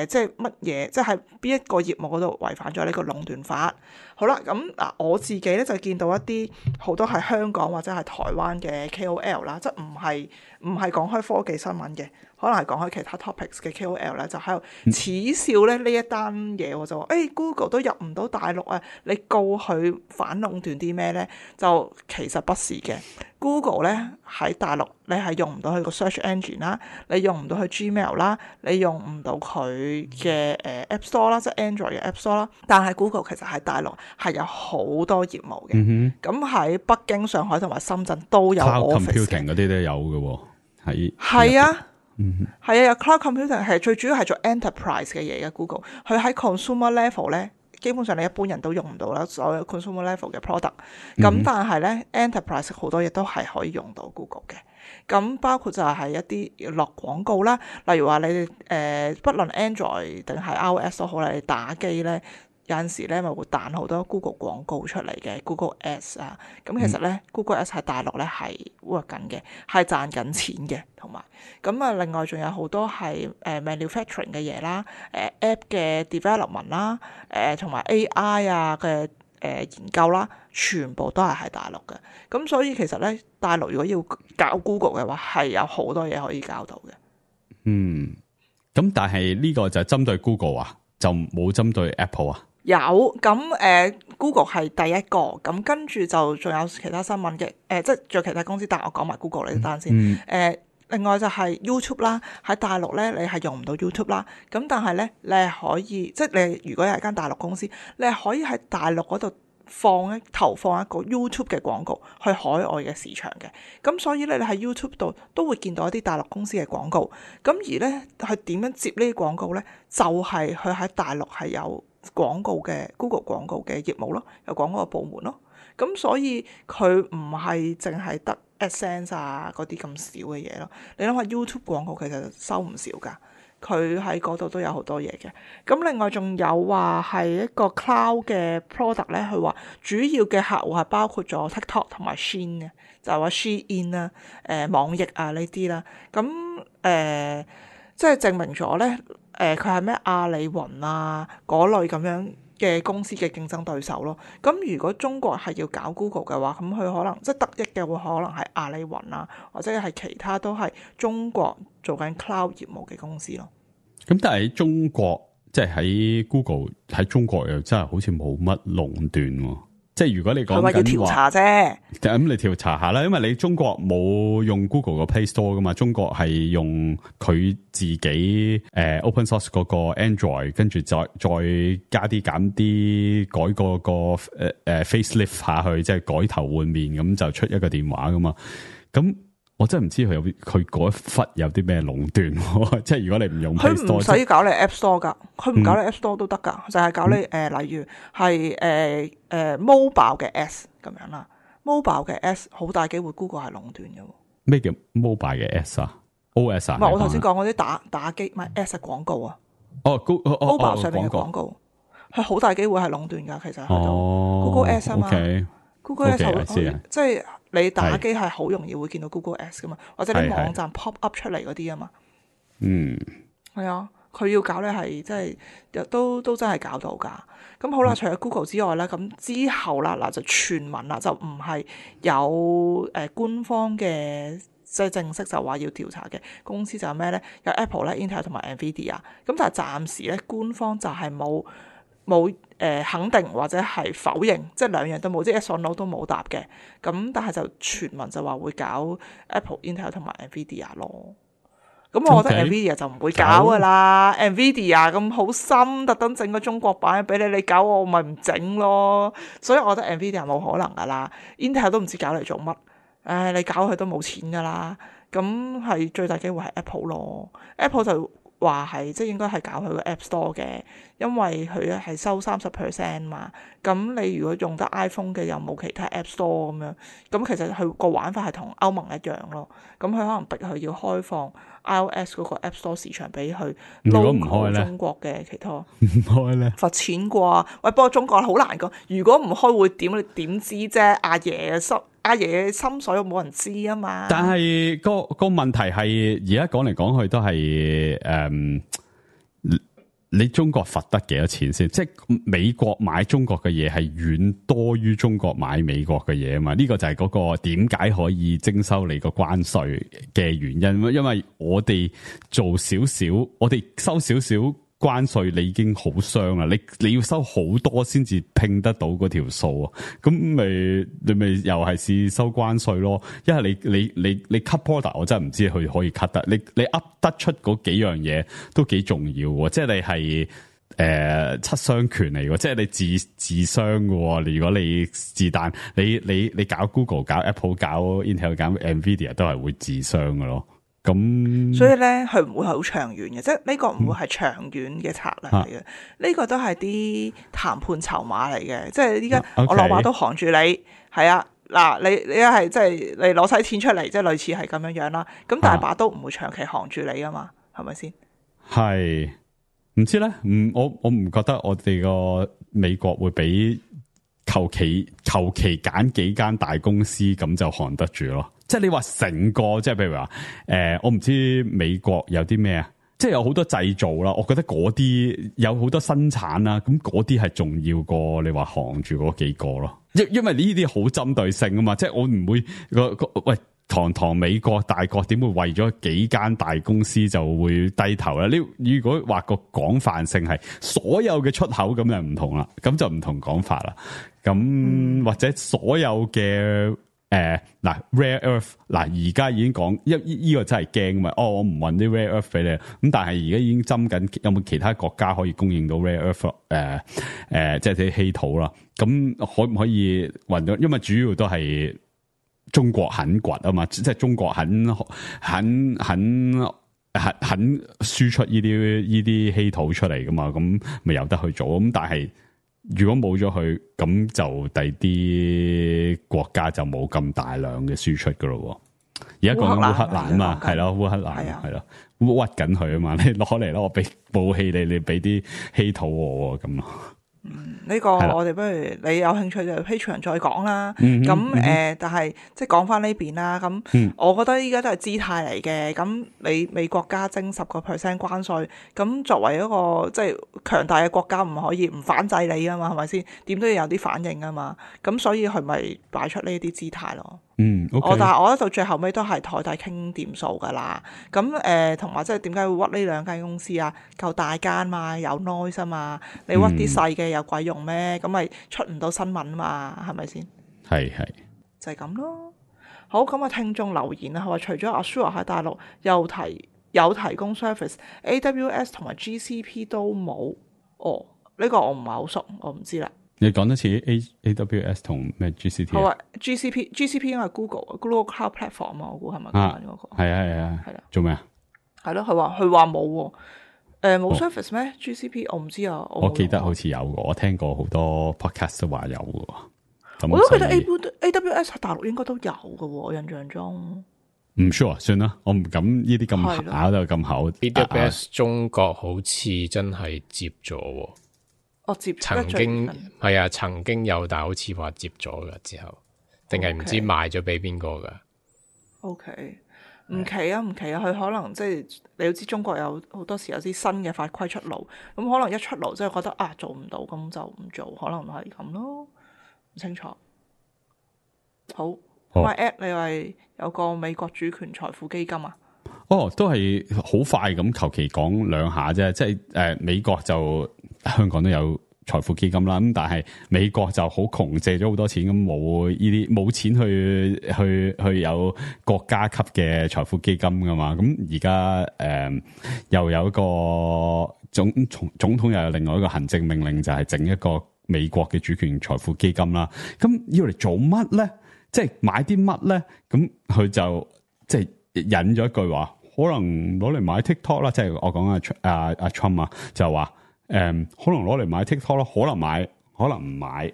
即係乜嘢？即係邊一個業務嗰度違反咗呢個壟斷法？好啦，咁嗱，我自己咧就見到一啲好多係香港或者係台灣嘅 KOL 啦，即係唔係講開科技新聞嘅，可能係講開其他 topics 嘅 KOL 咧，就喺度恥笑咧呢一單嘢，我就話Google 都入唔到大陸啊，你告佢反壟斷啲咩咧？就其實不是嘅。Google 咧喺大陸，你係用唔到佢個 search engine 啦，你用唔到佢 Gmail 啦，你用唔到佢嘅App Store 啦，即係 Android 嘅 App Store 啦。但係 Google 其實喺大陸係有好多業務嘅，咁喺北京、上海同埋深圳都有 office 嘅。Cloud computing 嗰啲都有嘅喎，係啊，係啊，有 cloud computing 係最主要係做 enterprise 嘅嘢嘅 Google，佢喺 consumer level 咧。基本上你一般人都用唔到啦，所有 consumer level 嘅 product。咁但係咧 enterprise 好多嘢都係可以用到 Google 嘅。咁包括就係一啲落廣告啦，例如話你哋不論 Android 定係 iOS 都好啦，你打機咧有陣時咧咪會彈好多 Google 廣告出嚟嘅 Google Ads 啊。咁其實咧 Google Ads 喺大陸咧係 work 緊嘅，係賺緊錢嘅，同埋咁啊另外仲有好多係manufacturing 嘅嘢啦，app 嘅 development 啦，同埋 AI 啊嘅研究啦，全部都係喺大陸嘅。咁所以其實咧大陸如果要搞 Google 嘅話，係有好多嘢可以搞到嘅。咁但係呢個就係針對 Google 啊，就冇針對 Apple 啊。有咁Google 係第一個，咁跟住就仲有其他新聞嘅，即係仲有其他公司，但係我講埋 Google 呢單先。另外就係 YouTube 啦，喺大陸咧你係用唔到 YouTube 啦，咁但係咧你係可以，即係你如果係間大陸公司，你係可以喺大陸嗰度投放一個 YouTube 嘅廣告去海外嘅市場嘅，咁所以咧你喺 YouTube 度都會見到一啲大陸公司嘅廣告，咁而咧佢點樣接呢啲廣告咧，就係佢喺大陸係有廣告嘅 Google 廣告嘅業務咯，有廣告嘅部門咯，咁所以佢唔係淨係得 AdSense 啊嗰啲咁少嘅嘢咯。你諗下 YouTube 廣告其實收唔少㗎，佢喺嗰度都有好多嘢嘅。咁另外仲有話係一個 cloud 嘅 product 咧，佢話主要嘅客戶係包括咗 TikTok 同埋 Shein 嘅，就係話 Shein 啦、網易啊呢啲啦。咁即係證明咗咧。佢係咩阿里雲啊嗰類咁樣嘅公司嘅競爭對手咯。咁如果中國係要搞 Google 嘅話，咁佢可能即係得益嘅會可能係阿里雲啊，或者係其他都係中國做緊 cloud 業務嘅公司咯。咁但係喺中國，即係喺 Google 喺中國又真係好似冇乜壟斷喎。即係如果你講緊話，要調查啫。咁你調查下啦，因為你中國冇用 Google 個 Play Store 噶嘛，中國係用佢自己open source 嗰個 Android， 跟住再加啲減啲改個facelift 下去，即係改頭換面咁就出一個電話噶嘛。咁我真係唔知佢嗰一忽有啲咩壟斷，即係如果你唔用 Play Store， 佢唔使搞你 App Store 噶，佢唔搞你 App Store 都得噶，就係搞你例如係mobile 嘅 S 咁樣啦，mobile 嘅 S 好大機會 Google 係壟斷嘅。咩叫 mobile 嘅 S 啊 ？OS 啊？唔係我頭先講嗰啲打機，唔係 S 係廣告啊。mobile 上面嘅廣告，係好大機會係壟斷噶，其實喺度 Google S 啊嘛。Google Ads 即係你打機係好容易會見到 Google Ads 噶嘛，或者你網站 pop up 出嚟嗰啲啊嘛。係啊，佢要搞咧係即係都真係搞到噶。咁好啦，除咗 Google 之外咧，咁之後啦嗱就傳聞啦，就唔係有官方嘅即係正式就話要調查嘅公司就係咩咧？有 Apple 咧、Intel 同埋 Nvidia。咁但係暫時咧官方就係冇肯定或者係否認，即係兩樣都冇，即係 yes or no 都冇答嘅。咁但係就傳聞就話會搞 Apple、Intel 同埋 Nvidia 咯。咁我覺得 Nvidia 就唔會搞噶啦。Nvidia 咁好心，特登整個中國版俾你搞我咪唔整咯。所以我覺得 Nvidia 冇可能噶啦。Intel 都唔知搞嚟做乜。你搞佢都冇錢噶啦。咁係最大機會係 Apple 咯。Apple 就話係即係應該係搞佢個 App Store 嘅，因為佢咧係收30% 嘛。咁你如果用得 iPhone 嘅又冇其他 App Store 咁樣，咁其實佢個玩法係同歐盟一樣咯。咁佢可能逼佢要開放 iOS 嗰個 App Store 市場俾佢。如果唔開咧，中國嘅其他唔開咧，罰錢啩？喂，不過中國好難講。如果唔開會點？你點知啫？阿爺嘅心水冇人知啊嘛。但係個問題係而家講嚟講去都係你中國罰得幾多錢先？即係美國買中國嘅嘢係遠多於中國買美國嘅嘢啊嘛？呢個就係嗰個點解可以徵收你個關稅嘅原因。因為我哋做少少，我哋收少少關稅，你已經好傷啦。你要收好多先至拼得到嗰條數啊。咁你咪又係試收關稅咯？因為你 cut border， 我真係唔知佢可以 cut 得。你噏得出嗰幾樣嘢都幾重要喎。即係你係七傷拳嚟喎。即係你自傷嘅。如果你自彈，你搞 Google、搞 Apple、搞 Intel、搞 Nvidia 都係會自傷嘅咯。咁所以咧，佢唔會係好長遠嘅，即係呢個唔會係長遠嘅策略嚟嘅。呢個都係啲談判籌碼嚟嘅，即係依家我攞把刀扛住你，係啊，嗱，你一係即係你攞晒錢出嚟，即係類似係咁樣樣啦。咁但係把刀唔會長期扛住你啊嘛，係咪先？係唔知咧？我唔覺得我哋個美國會俾求其揀幾間大公司咁就扛得住咯。即係你話成個，即係譬如話，我唔知美國有啲咩啊，即係有好多製造啦，我覺得嗰啲有好多生產啦，咁嗰啲係重要過你話行住嗰幾個咯。因為呢啲好針對性啊嘛，即係我唔會喂，堂美國大國點會為咗幾間大公司就會低頭咧？你如果話個廣泛性係所有嘅出口咁就唔同啦，咁就唔同講法啦。咁或者所有嘅。嗱 rare earth 嗱而家已經講呢個真係驚嘛？我唔運啲 rare earth 俾你，咁但係而家已經針緊有冇其他國家可以供應到 rare earth 即係啲稀土啦。咁可唔可以運到？因為主要都係中國肯掘啊嘛，即係中國肯輸出呢啲稀土出嚟噶嘛，咁咪有得去做。咁但係如果冇咗佢，咁就第啲國家就冇咁大量嘅輸出噶咯。而家講緊烏克蘭啊嘛，係咯，烏克蘭係咯，屈緊佢啊嘛，你攞嚟咯，我俾武器你俾啲稀土我咁咯。呢個我哋不如你有興趣就 Patreon 再講啦。咁但係即係講翻呢邊啦。咁我覺得依家都係姿態嚟嘅。咁你美國加徵10% 關稅，咁作為一個即係強大嘅國家，唔可以唔反制你啊嘛，係咪先？點都要有啲反應啊嘛。咁所以佢咪擺出呢啲姿態咯。Okay. 但係我覺得到最後尾都係台底傾掂數㗎啦。咁同埋即係點解會屈呢兩間公司啊？夠大間嘛，有 noise 啊嘛。你屈啲細嘅有鬼用咩？咁咪出唔到新聞嘛？係咪先？係就係咁咯。好，咁啊，聽眾留言啊，佢話除咗 Azure 喺大陸有提供 service，AWS 同埋 GCP 都冇。哦，呢個我唔係好熟，我唔知啦。你講多次 AWS 同咩 GCP？ 好啊 GCP 應該係 Google Cloud Platform 啊，我估係咪講緊嗰個？係啊，做咩啊？係咯，佢話冇喎，冇 service 咩？GCP 我唔知啊，我記得好似有嘅，我聽過好多 podcast 都話有嘅。我都覺得 AWS 喺大陸應該都有嘅喎，我印象中。唔 sure， 算啦，我唔敢呢啲咁考到咁厚。AWS 中國好似真係接咗喎。曾經有，但係好似話接咗噶之後，定係唔知賣咗俾邊個噶？OK， 唔奇啊，佢可能即係你要知中國有好多時有啲新嘅法規出爐，咁可能一出爐即係覺得做唔到，咁就唔做，可能係咁咯，唔清楚。好，My App 你話有個美國主權財富基金啊？都係好快咁求其講兩下啫，即係美國就香港都有財富基金啦，咁但係美國就好窮，借咗好多錢，咁冇錢去有國家級嘅財富基金噶嘛，咁而家又有一個總統又有另外一個行政命令，就係整一個美國嘅主權財富基金啦，咁要嚟做乜咧？即係買啲乜咧？咁佢就即係引咗一句話。可能攞嚟買 TikTok 啦，即係我講阿 Trump 啊，就話可能攞嚟買 TikTok 咯，可能買，可能唔買。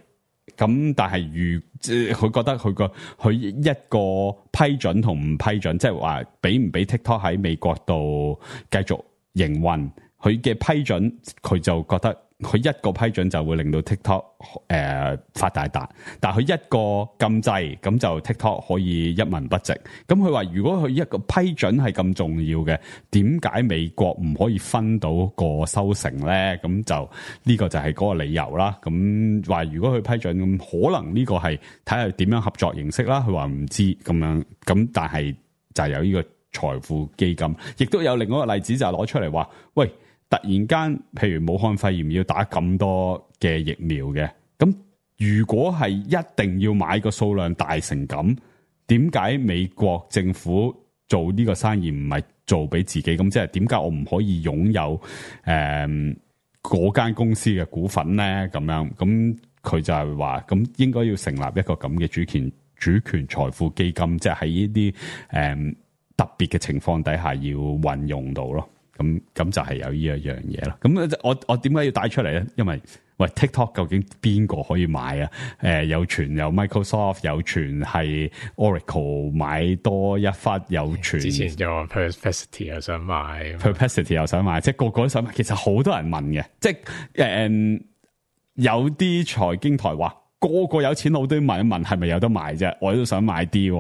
咁但係佢覺得佢一個批准同唔批准，即係話俾唔俾 TikTok 喺美國度繼續營運，佢嘅批准佢就覺得佢一個批准就會令到 TikTok 發大達，但係佢一個禁制咁就 TikTok 可以一文不值。咁佢話如果佢一個批准係咁重要嘅，點解美國唔可以分到個收成咧？咁就呢個就係嗰個理由啦。咁話如果佢批准，咁可能呢個係睇下點樣合作形式啦。佢話唔知咁樣，咁但係就係有呢個財富基金，亦都有另外一個例子就係攞出嚟話，喂。突然間，譬如武漢肺炎要打咁多嘅疫苗嘅，咁如果係一定要買個數量大成咁，點解美國政府做呢個生意唔係做俾自己？咁即係點解我唔可以擁有嗰間公司嘅股份咧？咁樣，咁佢就係話，咁應該要成立一個咁嘅主權財富基金，即係喺呢啲特別嘅情況底下要運用到咯。咁就係有呢一樣嘢啦。咁我點解要帶出嚟咧？因為喂 TikTok 究竟邊個可以買啊？有傳有 Microsoft， 有傳係 Oracle 買多一忽，有傳之前就話 Perplexity 又想買 ，Perplexity 又想買，即係個個都想買。其實好多人問嘅，即係有啲財經台話。個個有錢佬都問一問係咪有得賣啫，我都想買啲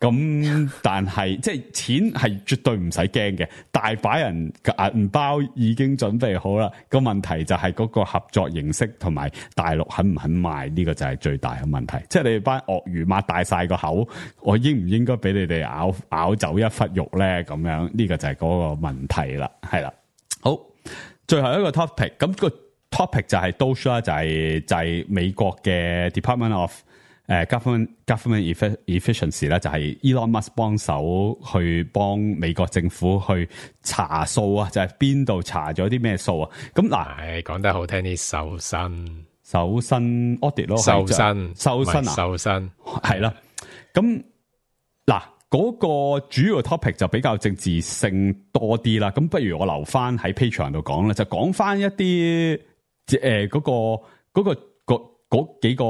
咁，但係即係錢係絕對唔使驚嘅，大把人銀包已經準備好啦。個問題就係嗰個合作形式同埋大陸肯唔肯賣呢個就係最大嘅問題。即係你哋班鱷魚擘大晒個口，我應唔應該俾你哋咬走一忽肉咧？咁樣呢個就係嗰個問題啦，係啦。好，最後一個 topic 咁topic 就係 Doge 啦，就係美國嘅 Department of Government Efficiency 啦，就係 Elon Musk 幫手去幫美國政府去查數啊，就係邊度查咗啲咩數啊？咁嗱，講得好聽啲，搜身 audit 咯，搜身係啦。咁嗱，嗰個主要 topic 就比較政治性多啲啦。咁不如我留翻喺 Patreon 度講啦，就講翻一啲。嗰幾個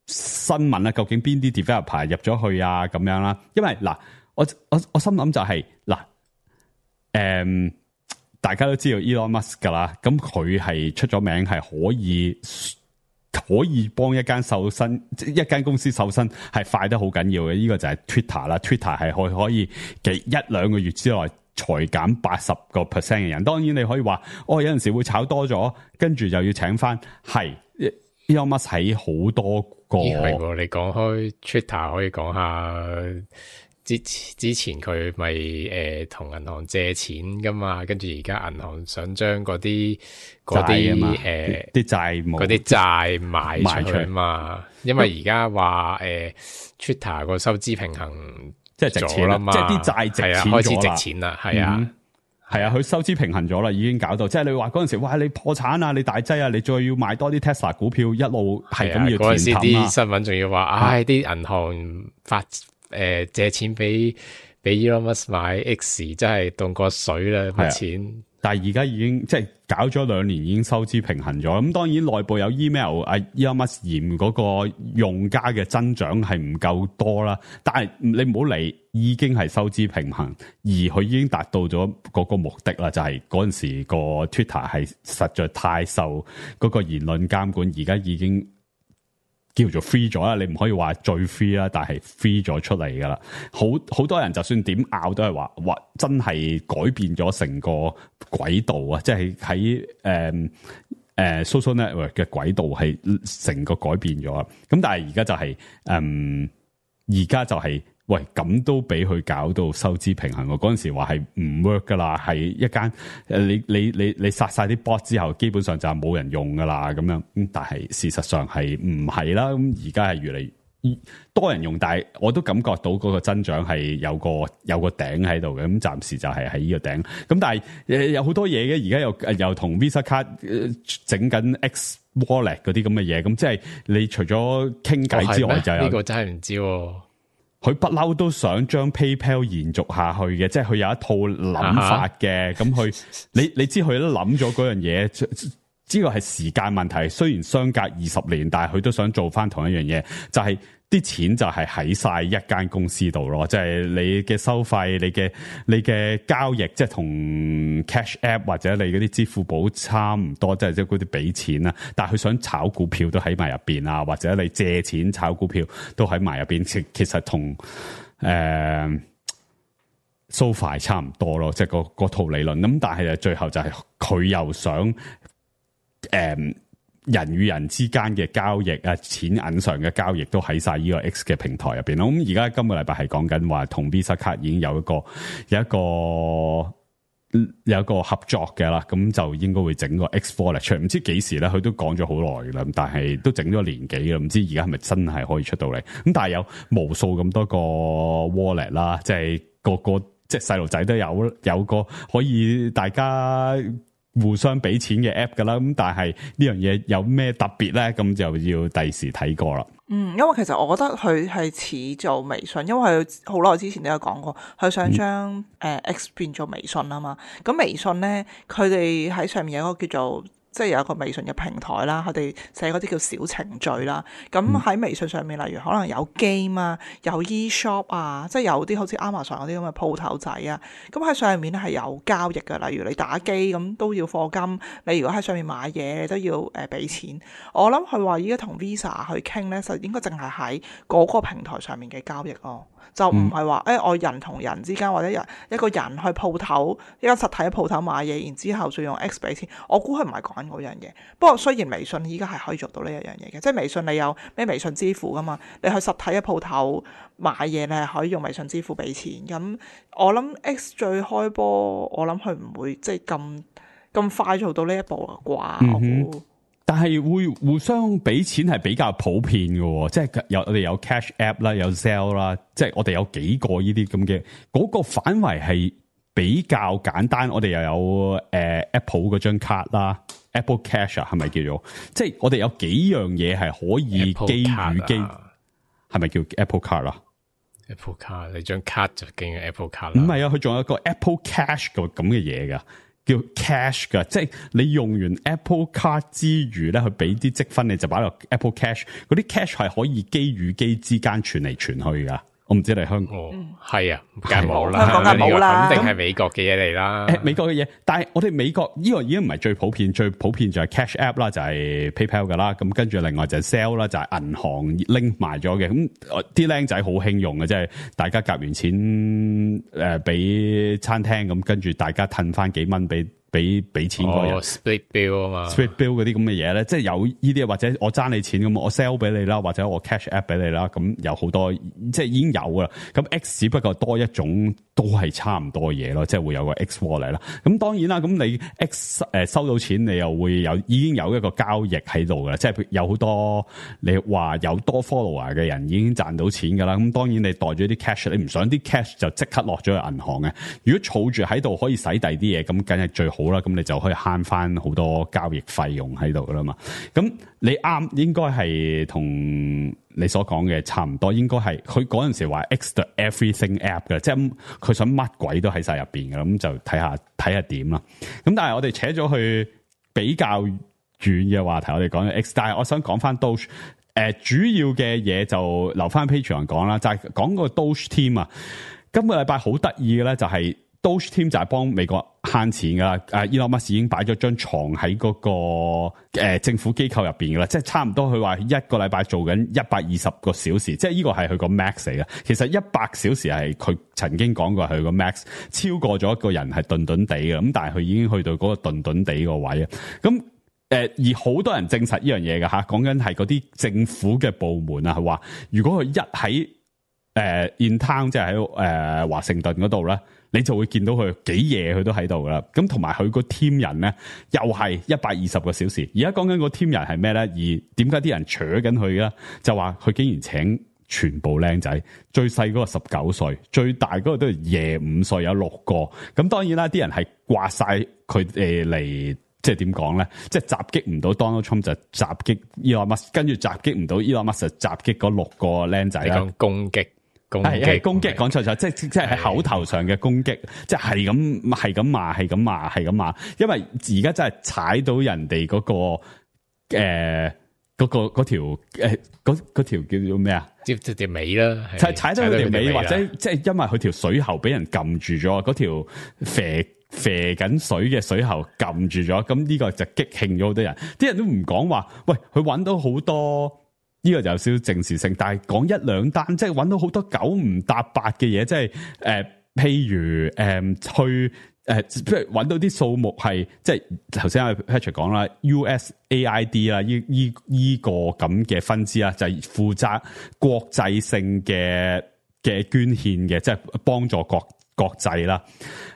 新聞啦，究竟邊啲 developer 入咗去啊？咁樣啦，因為嗱，我心諗就係嗱，大家都知道 Elon Musk 噶啦，咁佢係出咗名係可以幫一間公司瘦身係快得好緊要嘅。呢個就係 Twitter 啦 ，Twitter 係可以1-2個月之內。裁減 80% 嘅人，當然你可以話，有陣時會炒多咗，跟住又要請翻。係 Elon Musk 喺好多個，係喎。你講開 Twitter 可以講下之前佢咪同銀行借錢噶嘛，跟住而家銀行想將嗰啲啲債賣出去嘛，因為而家話Twitter 個收支平衡。即係值錢啦，即係啲債值錢咗啦，開始值錢啦，係啊，係啊，佢收支平衡咗啦，已經搞到，即係你話嗰陣時，哇，你破產啊，你大劑啊，你再要買多啲 Tesla 股票，一路係咁要嗰陣時啲新聞仲要話，啲銀行借錢俾 Elon Musk 買 X， 真係凍過水啦，筆錢。但係而家已經即係搞咗2年，已經收支平衡咗。咁當然內部有 email， Elon Musk 嫌嗰個用家嘅增長係唔夠多啦。但係你唔好理，已經係收支平衡，而佢已經達到咗嗰個目的啦。就係嗰陣時個 Twitter 係實在太受嗰個言論監管，而家已經叫做 free 咗啦，你唔可以話最 free 啦，但係 free 咗出嚟噶啦。好多人就算點拗都係話，哇，真係改變咗成個軌道啊！即係喺social network 嘅軌道係成個改變咗。咁但係而家就係喂，咁都俾佢搞到收支平衡。我嗰陣時話係唔 work 噶啦，係一間你殺晒啲 bot 之後，基本上就係冇人用噶啦咁樣。但係事實上係唔係啦。咁而家係越嚟越多人用，但係我都感覺到嗰個增長係有個頂喺度嘅。咁暫時就係喺呢個頂。咁但係有好多嘢嘅，而家又同 Visa 卡整緊 X Wallet 嗰啲咁嘅嘢。咁即係你除咗傾偈之外，就有呢個真係唔知。佢不嬲都想將 PayPal 延續下去嘅，即係佢有一套諗法嘅。咁佢你知佢都諗咗嗰樣嘢，呢個係時間問題。雖然相隔20年，但係佢都想做翻同一樣嘢，就係啲錢就係喺晒一間公司度咯。即係你嘅收費、你嘅交易，即係同 Cash App 或者你嗰啲支付寶差唔多，即係嗰啲俾錢啦。但係佢想炒股票都喺埋入邊啊，或者你借錢炒股票都喺埋入邊。其實同SoFi 差唔多咯，即係嗰套理論。咁但係最後就係佢又想人與人之間嘅交易啊，錢銀上嘅交易都喺晒呢個 X 嘅平台入邊咯。咁而家今個禮拜係講緊話同 Visa 卡已經有一個合作嘅啦，咁就應該會整個 X Wallet 出嚟。唔知幾時咧，佢都講咗好耐啦，但係都整咗年幾啦，唔知而家係咪真係可以出到嚟？咁但係有無數咁多個 wallet 啦，即係個即係細路仔都有個可以大家互相俾錢嘅 app 噶啦，咁但係呢樣嘢有咩特別咧？咁就要第時睇過啦。因為其實我覺得佢係似做微信，因為佢好耐之前都有講過，佢想將X 變做微信啊嘛。咁微信咧，佢哋喺上面有一個叫做，即係有一個微信嘅平台啦，佢哋寫嗰啲叫小程序啦。咁喺微信上面，例如可能有 game 啊，有 e-shop 啊，即係有啲好似 Amazon 嗰啲咁嘅鋪頭仔啊。咁喺上面咧係有交易嘅，例如你打機咁都要課金，你如果喺上面買嘢，你都要俾錢。我諗佢話依家同 Visa 去傾咧，就應該淨係喺嗰個平台上面嘅交易咯。就唔係話我人同人之間，或者一個人去鋪頭，一間實體嘅鋪頭買嘢，然之後再用 X 俾錢。我估佢唔係講緊嗰樣嘢。不過雖然微信依家係可以做到呢一樣嘢嘅，即係微信你有咩微信支付噶嘛？你去實體嘅鋪頭買嘢，你係可以用微信支付俾錢。咁我諗 X 最開波，我諗佢唔會即係咁快做到呢一步啊啩。我估。但係會互相俾錢係比較普遍嘅，即係我哋有 Cash App 啦，有 Zelle 啦，即係我哋有幾個呢啲咁嘅，嗰個範圍係比較簡單。我哋又有Apple 嗰張卡啦 ，Apple Cash 係咪叫做？即係我哋有幾樣嘢係可以基與基，係咪叫 Apple Card 啊？Apple Card 你張卡就叫 Apple Card 啦。唔係啊，佢仲有一個 Apple Cash 咁嘅嘢噶。叫 cash 噶，即係你用完 Apple Card 之餘咧，去俾啲積分，你就擺落 Apple Cash。嗰啲 cash 係可以機與機之間傳嚟傳去噶。我唔知你香港係啊，梗係冇啦，香港梗係冇啦，肯定係美國嘅嘢嚟啦。美國嘅嘢，但係我哋美國呢個已經唔係最普遍，最普遍就係 Cash App 啦，就係 PayPal 噶啦。咁跟住另外就係 Zelle 啦，就係銀行 link 埋咗嘅。咁啲僆仔好興用嘅，即係大家夾完錢俾餐廳，咁跟住大家褪翻幾蚊俾錢嗰人split bill 啊嘛，split bill 嗰啲咁嘅嘢咧，即係有呢啲，或者我爭你錢咁，我 sell 俾你啦，或者我 cash app 俾你啦，咁有好多即係已經有噶啦。咁 X 只不過多一種，都係差唔多嘢咯，即係會有個 X wallet 啦。咁當然啦，咁你 X 收到錢，你又會已經有一個交易喺度噶啦，即係有好多你話有多 follower 嘅人已經賺到錢噶啦。咁當然你袋咗啲 cash， 你唔想啲 cash 就即刻落咗去銀行嘅。如果儲住喺度可以使第啲嘢，咁梗係最好啦。咁你就可以慳翻好多交易費用喺度噶啦嘛。咁你啱，應該係同你所講嘅差唔多，應該係佢嗰陣時話 X the everything app 嘅，即係佢想乜鬼都喺晒入邊嘅，咁就睇下點啦。咁但係我哋扯咗去比較遠嘅話題，我哋講 X， 但係我想講翻 Doge， 主要嘅嘢就留翻 Patreon 講啦，就係講個 Doge team 啊。今個禮拜好得意嘅咧，就係 Doge team 就係幫美國慳錢噶啦。Elon Musk 已經擺咗張床喺嗰個政府機構入邊噶啦，即係差唔多佢話一個禮拜做緊120個小時，即係呢個係佢個 max 嚟嘅。其實100小時係佢曾經講過係佢個 max， 超過咗一個人係頓頓地嘅。咁但係佢已經去到嗰個頓頓地個位啊。咁而好多人證實呢樣嘢嘅吓，講緊係嗰啲政府嘅部門啊，係話如果佢一喺in town， 即係喺華盛頓嗰度咧，你就會見到佢幾夜佢都喺度噶啦。咁同埋佢個 team 人咧，又係120個小時。而家講緊個 team 人係咩咧？而點解啲人扯緊佢咧？就話佢竟然請全部靚仔，最細嗰個19歲，最大嗰個都係25歲，有6個。咁當然啦，啲人係掛晒佢哋嚟。即係點講咧？即係襲擊唔到 Donald Trump 就襲擊 Elon Musk，跟住襲擊唔到 Elon Musk 就襲擊嗰6個僆仔啦。攻擊係攻擊，講錯咗，即係口頭上嘅攻擊，即係咁罵，因為而家真係踩到人哋嗰條叫做咩啊？條尾啦，踩到佢條尾，或者即係因為佢條水喉俾人撳住咗，嗰條肥緊水嘅水喉撳住咗，咁呢個就激興咗好多人。啲人都唔講話，喂，佢揾到好多。呢個就有少少政治性，但係講一兩單，即係揾到好多九唔搭八嘅嘢，即係譬如即係揾到啲數目係，即係頭先阿 Patrick 講啦 ，USAID 啦，依個咁嘅分支啦，就係負責國際性嘅捐獻嘅，即係幫助國際啦。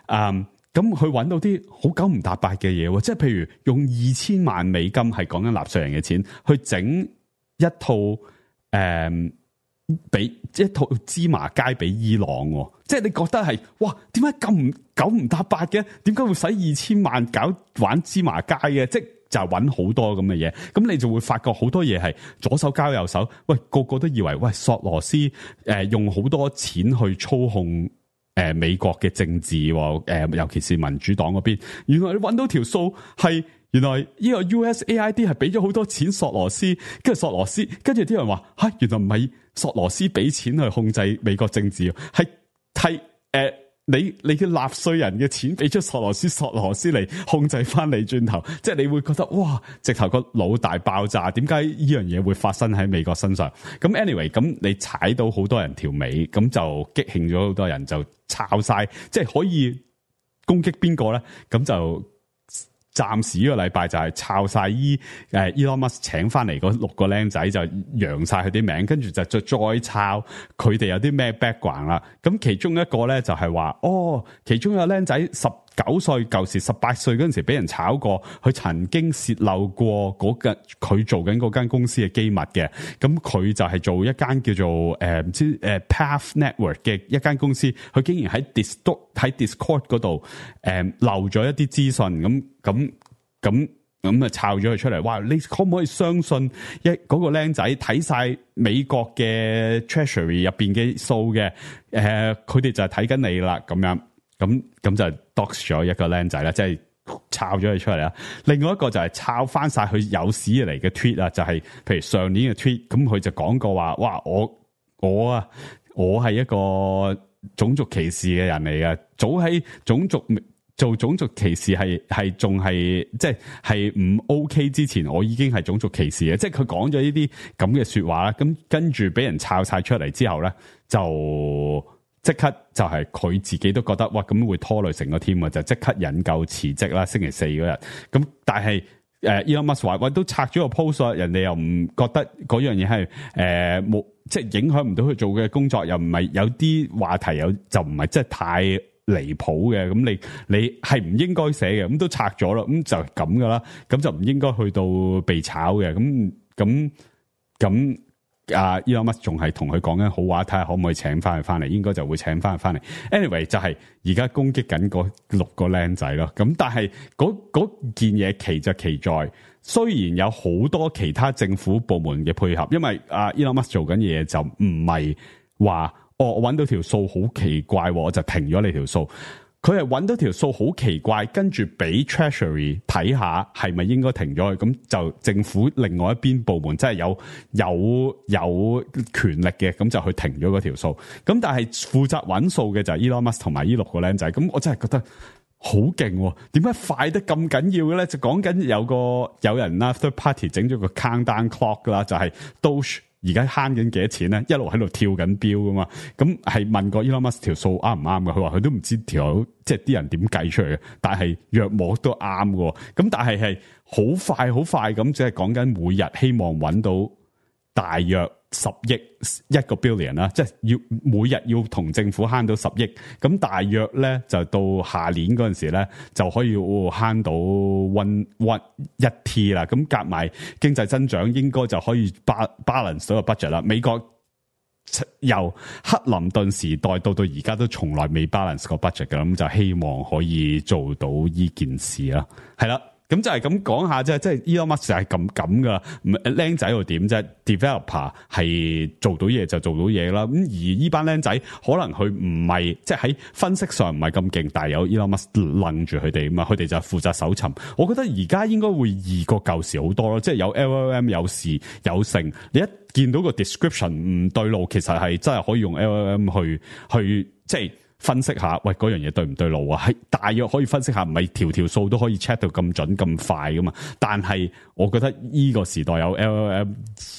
咁佢揾到啲好九唔搭八嘅嘢喎，即係譬如用2000萬美金係講緊納稅人嘅錢去整一套俾一套芝麻街俾伊朗，即係你覺得係哇？點解咁九唔搭八嘅？點解會使2000萬玩芝麻街嘅？即係就揾好多咁嘅嘢，咁你就會發覺好多嘢係左手交右手。喂，個個都以為喂索羅斯用好多錢去操控美國嘅政治，尤其是民主黨嗰邊。原來你揾到條數係。原來呢個 USAID 係俾咗好多錢索羅斯，跟住啲人話吓，原來唔係索羅斯俾錢去控制美國政治，係你嘅納稅人嘅錢俾咗索羅斯嚟控制翻你轉頭，即係你會覺得哇，直頭個腦大爆炸，點解呢樣嘢會發生喺美國身上？咁 anyway， 咁你踩到好多人條尾，咁就激興咗好多人就抄晒，即係可以攻擊邊個咧？咁就。暫時呢個禮拜就係抄晒Elon Musk 請翻嚟嗰6個僆仔，就揚晒佢啲名，跟住就再抄佢哋有啲咩 background 啦。咁其中一個咧就係話，其中有個僆仔19歲，舊時18歲嗰陣時俾人炒過，佢曾經泄漏過佢做緊嗰間公司嘅機密嘅。咁佢就係做一間叫做唔知Path Network 嘅一間公司，佢竟然喺 Discord 嗰度漏咗一啲資訊，咁啊抄咗佢出嚟。哇！你可唔可以相信嗰個僆仔睇晒美國嘅 Treasury 入邊嘅數嘅？佢哋就係睇緊你啦，咁樣。咁就 dox 咗一個僆仔啦，即係抄咗佢出嚟啦。另外一個就係抄翻晒佢有史以嚟嘅 tweet 啊，就係譬如上年嘅 tweet，咁佢就講過話，哇，我係一個種族歧視嘅人嚟嘅，早喺做種族歧視係仲係即係唔 OK 之前，我已經係種族歧視嘅，即係佢講咗呢啲咁嘅說話啦。咁跟住俾人抄晒出嚟之後咧，就即刻就係佢自己都覺得哇，咁會拖累成個 team 啊，就即刻引咎辭職啦。星期4嗰日，咁但係Elon Musk 話喂，都拆咗個 post， 人哋又唔覺得嗰樣嘢係冇，即係影響唔到佢做嘅工作，又唔係有啲話題就唔係即係太離譜嘅，咁你係唔應該寫嘅，咁都拆咗啦，咁就咁噶啦，咁就唔應該去到被炒嘅，咁Elon Musk 仲係同佢講緊好話，睇下可唔可以請翻佢翻嚟，應該就會請翻佢翻嚟。Anyway 就係而家攻擊緊嗰6個僆仔咯。咁但係嗰件嘢奇就奇在，雖然有好多其他政府部門嘅配合，因為Elon Musk 做緊嘢就唔係話我揾到條數好奇怪，我就停咗你條數。佢係揾到條數好奇怪，跟住俾 Treasury 睇下係咪應該停咗佢，咁就政府另外一邊部門真係有權力嘅，咁就去停咗嗰條數。咁但係負責揾數嘅就係 Elon Musk 同埋呢6個僆仔，咁我真係覺得好勁，點解快得咁緊要嘅咧？就講緊有人啦 third party 整咗個 countdown clock 啦，就係 Doge。而家慳緊幾多錢咧？一路喺度跳緊標噶嘛，咁係問過 Elon Musk 條數啱唔啱嘅？佢話佢都唔知條即係啲人點計出嚟嘅，但係約莫都啱嘅。咁但係好快咁，即係講緊每日希望揾到大約10億1個 billion 啦，即係要每日要同政府慳到10億，咁大約咧就到下年嗰陣時咧就可以慳到1 T 啦，咁夾埋經濟增長應該就可以 balance 到個 budget 啦。美國由克林頓時代到而家都從來未 balance 個 budget 嘅，咁就希望可以做到呢件事啦。係啦，咁就係咁講下啫，即係 Elon Musk 就係咁噶啦，僆仔又點啫 ？developer 係做到嘢就做到嘢啦。咁而呢班僆仔可能佢唔係即係喺分析上唔係咁勁，但係有 Elon Musk 楞住佢哋嘛，佢哋就負責搜尋。我覺得而家應該會易過舊時好多咯，即係有 LLM 有時有成，你一見到個 description 唔對路，其實係真係可以用 LLM 去即係分析下，喂嗰樣嘢對唔對路啊？係大約可以分析下，唔係條數都可以 check 到咁準咁快噶嘛。但係我覺得呢個時代有 LLM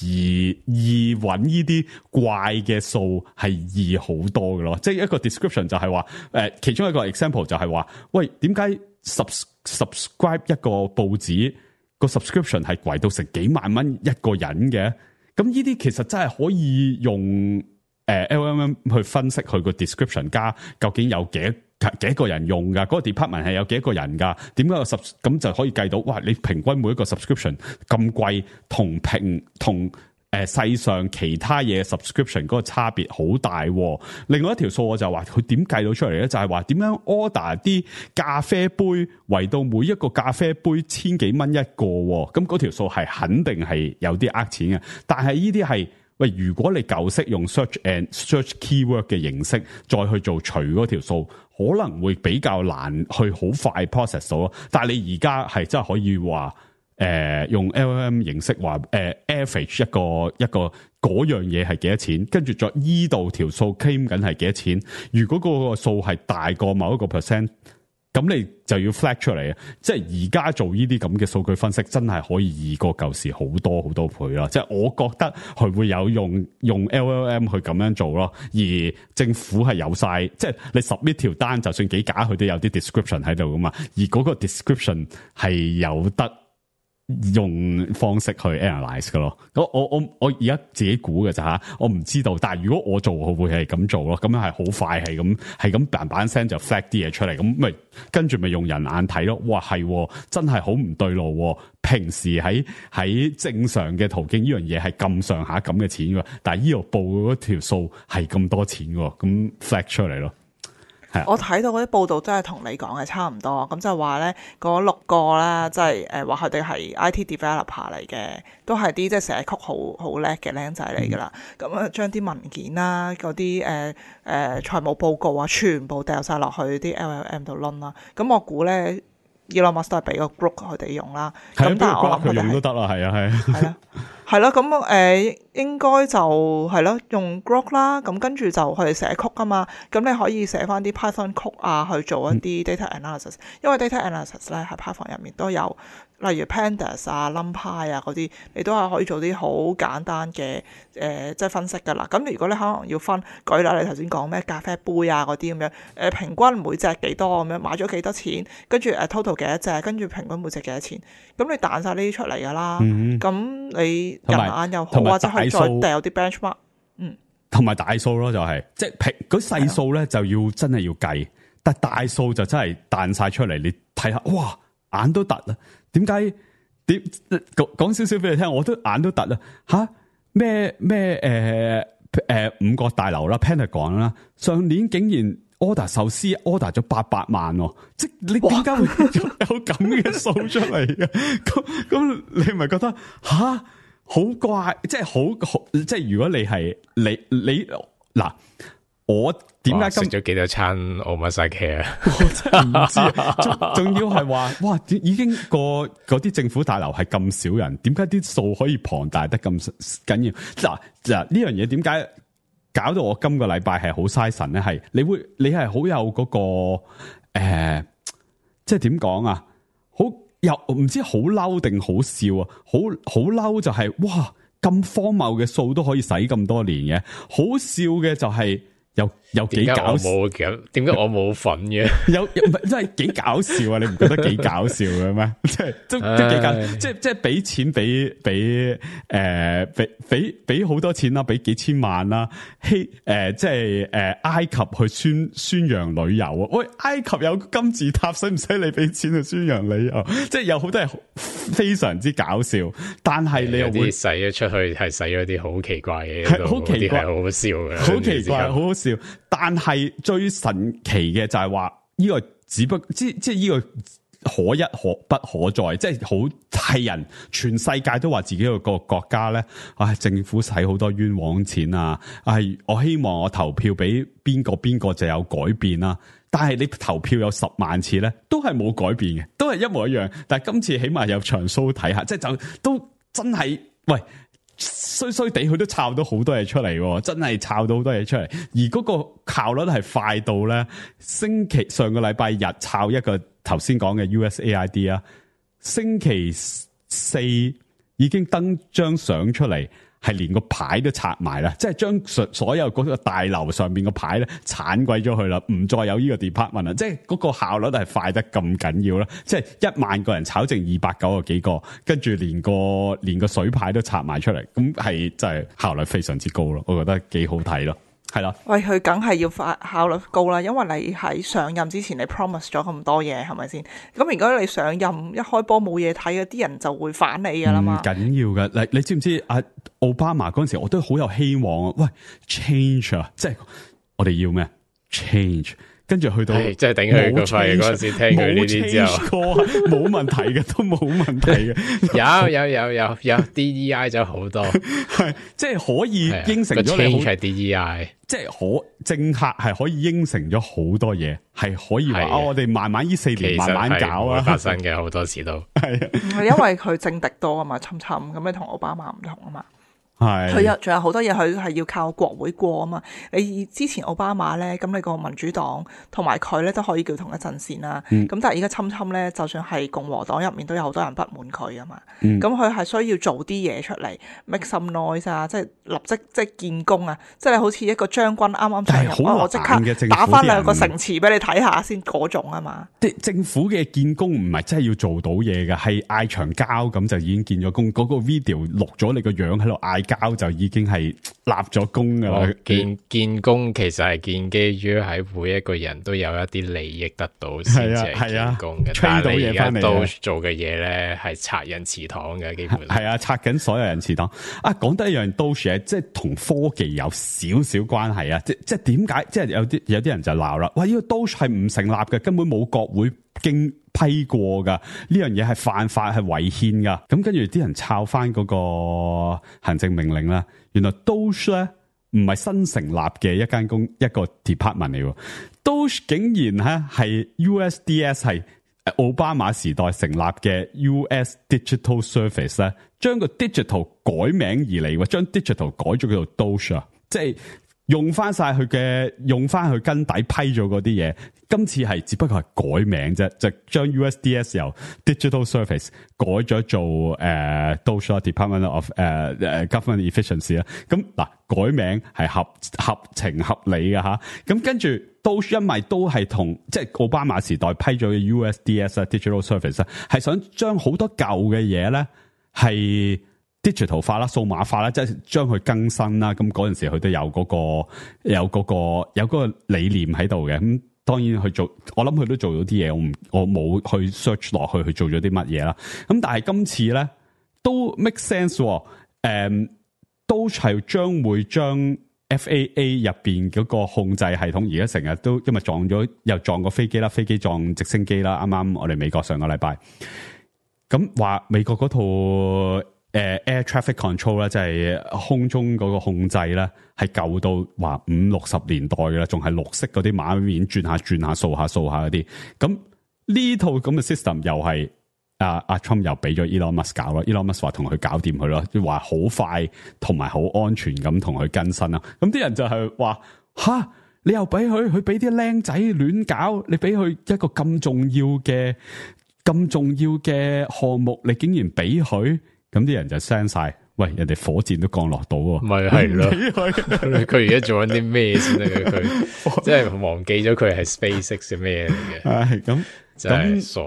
易揾呢啲怪嘅數係易好多嘅咯。即係一個 description 就係話，其中一個 example 就係話，喂點解 subscribe 一個報紙個 subscription 係貴到成幾萬蚊一個人嘅？咁呢啲其實真係可以用LLM 去分析佢個 description 加究竟有幾個人用㗎？嗰個 department 係有幾個人㗎？點解咁就可以計到？哇！你平均每一個 subscription 咁貴，同世上其他嘢 subscription 嗰個差別好大。另外一條數我就話佢點計到出嚟咧？就係話點樣 order 啲咖啡杯，圍到每一個咖啡杯千幾蚊一個，咁嗰條數係肯定係有啲呃錢嘅。但係呢啲係喂，如果你舊式用 search keyword 嘅形式再去做除嗰條數，可能會比較難去好快 process 到咯。但係你而家係真係可以話用 LLM 形式話average 一個嗰樣嘢係幾多錢，跟住再依度條數 claim 緊係幾多錢。如果嗰個數係大過某一個 percent，咁你就要 flag 出嚟啊！即係而家做呢啲咁嘅數據分析，真係可以易過舊時好多好多倍啦！即係我覺得佢會有用 LLM 去咁樣做咯，而政府係有晒，即係你 submit 條單，就算幾假，佢都有啲 description 喺度噶嘛，而嗰個 description 係有得用方式去 analyze 噶咯。我而家自己估嘅咋吓，我唔知道。但係如果我做，我會係咁做咯。咁樣係好快，係咁嘭嘭聲就 flag 啲嘢出嚟，咁咪跟住咪用人眼睇咯。哇，係真係好唔對路。平時喺正常嘅途徑，呢樣嘢係咁上下咁嘅錢㗎，但係呢度報嗰條數係咁多錢㗎，咁 flag 出嚟咯。我睇到嗰啲報道真係同你講嘅差唔多，咁就話咧嗰6個啦，即係話佢哋係 IT developer 嚟嘅，都係啲即係寫曲好叻嘅僆仔嚟噶啦。咁啊將啲文件啦、嗰啲財務報告啊，全部掉晒落去啲 LLM 度攆啦。咁我估咧 Elon Musk 都係俾個 group 佢哋用啦。咁但係我諗佢用都得啦，係啊。係咯，咁應該就係咯，用 Grok 啦，咁跟住就佢哋寫曲啊嘛，咁你可以寫翻啲 Python 曲啊，去做一啲 data analysis，因為 data analysis 咧喺 Python 入面都有，例如 Pandas 啊、NumPy 啊嗰啲，你都係可以做啲好簡單嘅即係分析噶啦。咁如果你可能要分，舉例你頭先講咩咖啡杯啊嗰啲咁樣，平均每隻幾多咁樣，買咗幾多錢，跟住total 幾多隻，跟住平均每隻幾多錢，咁你彈晒呢啲出嚟噶啦，咁你人眼又好，或者可以再掉啲 benchmark，同埋大數咯，就係即係嗰細數咧就要真係要計，但大數就真係彈晒出嚟，你睇下，哇，眼都突啊！點解？講少少俾你聽，我都眼都突啊！吓咩五角大樓啦 ，Pentagon 啦，上年竟然 order 壽司 order 咗800萬，即係你點解會有咁嘅數出嚟嘅？咁你咪覺得吓？好怪，即係好，即係如果你係你嗱，我點解食咗幾多餐 omakase 啊？我真係唔知，仲要係話，哇！已經嗰啲政府大樓係咁少人，點解啲數可以龐大得咁緊要？嗱呢樣嘢點解搞到我今個禮拜係好嘥神咧？係你係好有嗰個即係點講啊？好。又唔知好嬲定好笑啊！好嬲就係哇，咁荒謬嘅數都可以使咁多年嘅，好笑嘅就係有幾搞笑。點解我冇份嘅？有唔係真係幾搞笑啊！你唔覺得幾搞笑嘅咩？即係都幾搞，即係俾錢俾好多錢啦，俾幾千萬啦，即係埃及去宣揚旅遊啊！喂，埃及有金字塔，使唔使你俾錢去宣揚旅遊？即係有好多係非常之搞笑，但係你又會使咗出去係使咗啲好奇怪嘅嘢，係好奇怪，好好笑嘅，好奇怪，好好笑。但係最神奇嘅就係話呢個只不即係呢個可一可不可再，即係好係人全世界都話自己個國家咧，政府使好多冤枉錢啊，我希望我投票俾邊個就有改變啦。但係你投票有10萬次咧，都係冇改變嘅，都係一模一樣。但係今次起碼有場 show 睇下，即係就都真係喂。衰地佢都抄到好多嘢出嚟，真係抄到好多嘢出嚟，而嗰個效率係快到咧，上個禮拜日抄一個頭先講嘅 USAID 啊，星期四已經登張相出嚟，係連個牌都拆埋啦，即係將所有嗰個大樓上邊個牌咧鏟鬼咗佢啦，唔再有呢個 department 啦，即係嗰個效率係快得咁緊要啦，即係1萬個人炒剩290幾個，跟住連個水牌都拆埋出嚟，咁係真係效率非常之高咯，我覺得幾好睇咯。係啦，喂，佢梗係要效率高啦，因為你喺上任之前你 promise 咗咁多嘢，係咪先？咁如果你上任一開波冇嘢睇嘅，啲人就會反你噶啦嘛。唔緊要嘅，你知唔知奧巴馬嗰陣時我都好有希望啊！喂 ，change 啊，即係我哋要咩 change？跟住去到即係頂佢個肺嗰陣時，聽佢呢啲之後，冇問題嘅，都冇問題嘅。有 DEI 咗好多，係即係可以應承咗你好。係 DEI，即係政客係可以應承咗好多嘢，係可以話我哋慢慢呢4年慢慢搞啊。發生嘅好多時都係因為佢政敵多啊嘛，侵咁你同奧巴馬唔同啊嘛。係佢仲有好多嘢，佢係要靠國會過啊嘛。你之前奧巴馬咧，咁你個民主黨同埋佢咧都可以叫同一陣線啦。咁但係而家侵咧，就算係共和黨入面都有好多人不滿佢啊嘛。咁佢係需要做啲嘢出嚟 make some noise 啊，即係立即即係建功啊，即係好似一個將軍啱啱上任，我即刻打翻2個城池俾你睇下先嗰種啊嘛。政府嘅建功唔係真係要做到嘢嘅，係嗌長交咁就已經建咗功。嗰個 video 錄咗你個樣喺度嗌交就已經係立咗功噶啦。建功其實係建基於喺每一個人都有一啲利益得到先至係建功嘅。但係你而家都做嘅嘢咧係拆人祠堂嘅，基本係啊，拆緊所有人祠堂啊。講得一樣都係即係同科技有少少關係啊。即係點解？即係有啲人就鬧啦。哇！呢個都係唔成立嘅，根本冇國會經批過噶，呢樣嘢係犯法，係違憲噶。咁跟住啲人抄翻嗰個行政命令啦，原來 DOGE 咧唔係新成立嘅一個 department 嚟喎。DOGE 竟然係 USDS 係奧巴馬時代成立嘅 US Digital Service 咧，將個 digital 改名而嚟喎，將 digital 改咗叫做 DOGE 啊，即係用翻佢根底批咗嗰啲嘢。今次係只不過係改名啫，就將 USDS 由 Digital Service 改咗做DOGE Department of Government Efficiency 啦。咁嗱，改名係合情合理嘅吓。咁跟住 DOGE 因為都係同即係奧巴馬時代批咗嘅 USDS Digital Service 係想將好多舊嘅嘢咧係 digital 化啦、數碼化啦，即係將佢更新啦。咁嗰陣時佢都有嗰個理念喺度嘅。咁當然去做，我諗佢都做咗啲嘢，我冇去 search 落去做咗啲乜嘢啦。咁但係今次咧都 make sense，都係將會將 FAA 入邊嗰個控制系統，而家成日都因為又撞過飛機啦，飛機撞直升機啦。啱啱我哋美國上個禮拜咁話美國嗰套Air Traffic Control 咧，即係空中嗰個控制咧，係舊到話50-60年代嘅啦，仲係綠色嗰啲馬面轉下掃下嗰啲。咁呢套咁嘅 system 又係阿 Trump 又俾咗 Elon Musk 搞啦。Elon Musk 話同佢搞掂佢咯，話好快同埋好安全咁同佢更新啦。咁啲人就係話吓，你又俾佢俾啲僆仔亂搞，你俾佢一個咁重要嘅項目，你竟然俾佢？咁啲人就 send 晒，喂，人哋火箭都降落到喎，咪係咯？佢而家做緊啲咩先得嘅？佢即係忘記咗佢係 SpaceX 嘅咩嚟嘅？咁真係傻。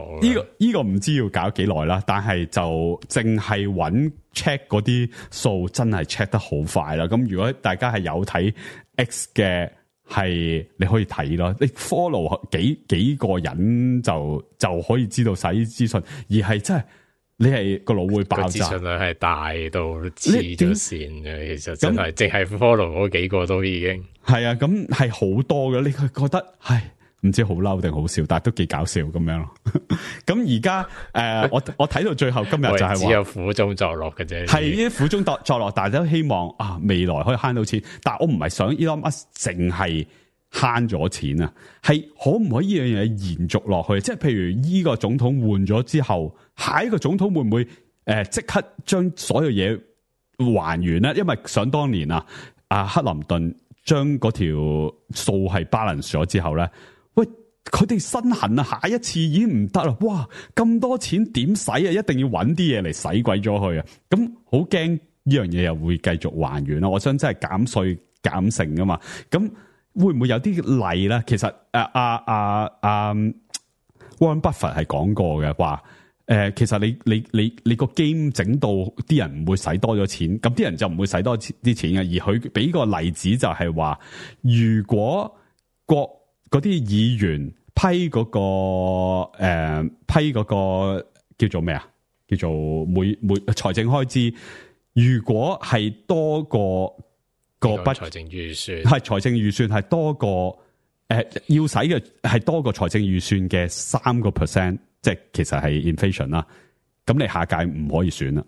呢個唔知要搞幾耐啦，但係就淨係揾 check 嗰啲數，真係 check 得好快啦。咁如果大家係有睇 X 嘅，係你可以睇咯，你 follow 幾個人就可以知道晒啲資訊，而係真係。你係個腦會爆炸，資訊量係大到黐咗線嘅，其實真係淨係 follow 嗰幾個都已經係啊，咁係好多嘅。你覺得係唔知好嬲定好笑，但係都幾搞笑咁樣咯。咁而家我睇到最後今日就係話，只有苦中作樂嘅啫。係呢啲苦中作樂，大家都希望啊未來可以慳到錢。但係我唔係想 Elon Musk 淨係慳咗錢啊，係可唔可以呢樣嘢延續落去？即係譬如呢個總統換咗之後，下一個總統會唔會即刻將所有嘢還原咧？因為想當年啊，克林頓將嗰條數係 balance 咗之後咧。喂，佢哋身痕啊，下一次已經唔得啦！哇，咁多錢點使啊？一定要揾啲嘢嚟使鬼咗佢啊！咁好驚呢樣嘢又會繼續還原啦！我想真係減稅減成噶嘛？咁會唔會有啲例咧？其實Warren Buffett 係講過嘅話，其實你個 game 整到啲人唔會使多咗錢，咁啲人就唔會使多啲錢嘅。而佢俾個例子就係話，如果嗰啲議員批嗰個叫做咩啊？叫做每財政開支，如果係多過個筆財政預算，係財政預算係多過要使嘅係多過財政預算嘅3%，即係其實係 inflation 啦。咁你下屆唔可以選啦。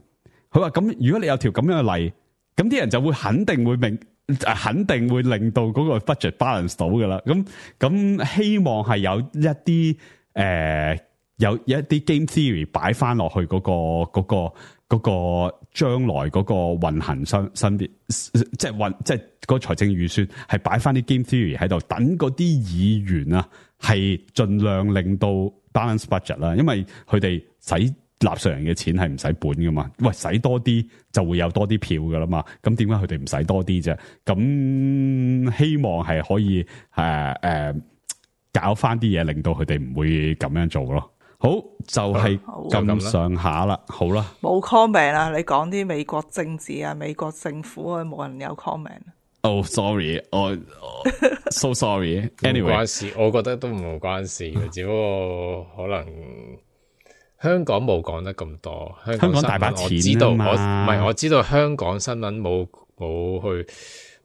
佢話咁，如果你有條咁樣嘅例，咁啲人就會肯定會令到嗰個 budget balance 到噶啦。咁希望係有一啲有一啲 game theory 擺翻落去嗰個將來嗰個運行身邊，即係個財政預算係擺翻啲 game theory 喺度，等嗰啲議員啊係盡量令到 balance budget 啦，因為佢哋使納稅人嘅錢係唔使本噶嘛，喂，使多啲就會有多啲票噶啦嘛，咁點解佢哋唔使多啲啫？咁希望係可以搞翻啲嘢，令到佢哋唔會咁樣做咯。好，就係咁上下啦，好啦，冇 comment 啦，你講啲美國政治啊、美國政府啊，冇人有 comment。Oh sorry， so sorry。Anyway， 唔關事，我覺得都唔關事嘅，只不過可能香港冇講得咁多。香港大把錢啊嘛，我知道香港新聞冇去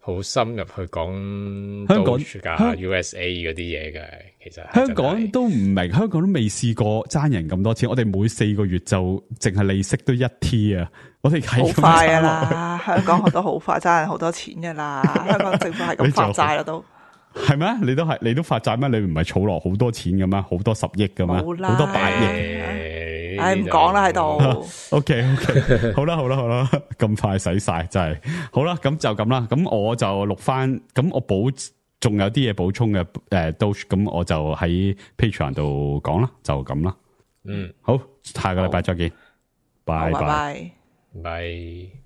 好深入去講香港㗎 USA 嗰啲嘢嘅，其實香港都唔明，香港都未試過爭人咁多錢。我哋每4個月就淨係利息都1T 啊！我哋係好快噶啦，香港學得好快，爭人好多錢噶啦。香港政府係咁發債啦都。係咩？你都發債咩？你唔係儲落好多錢嘅咩？好多10億嘅咩？好多100億。唉，唔講啦喺度。OK， 好啦，咁快使晒真係好啦，咁就咁啦。咁我就錄翻，咁我仲有啲嘢補充嘅Doge，咁我就喺 Patreon 度講啦，就咁啦。好，下個禮拜再見，拜拜。拜。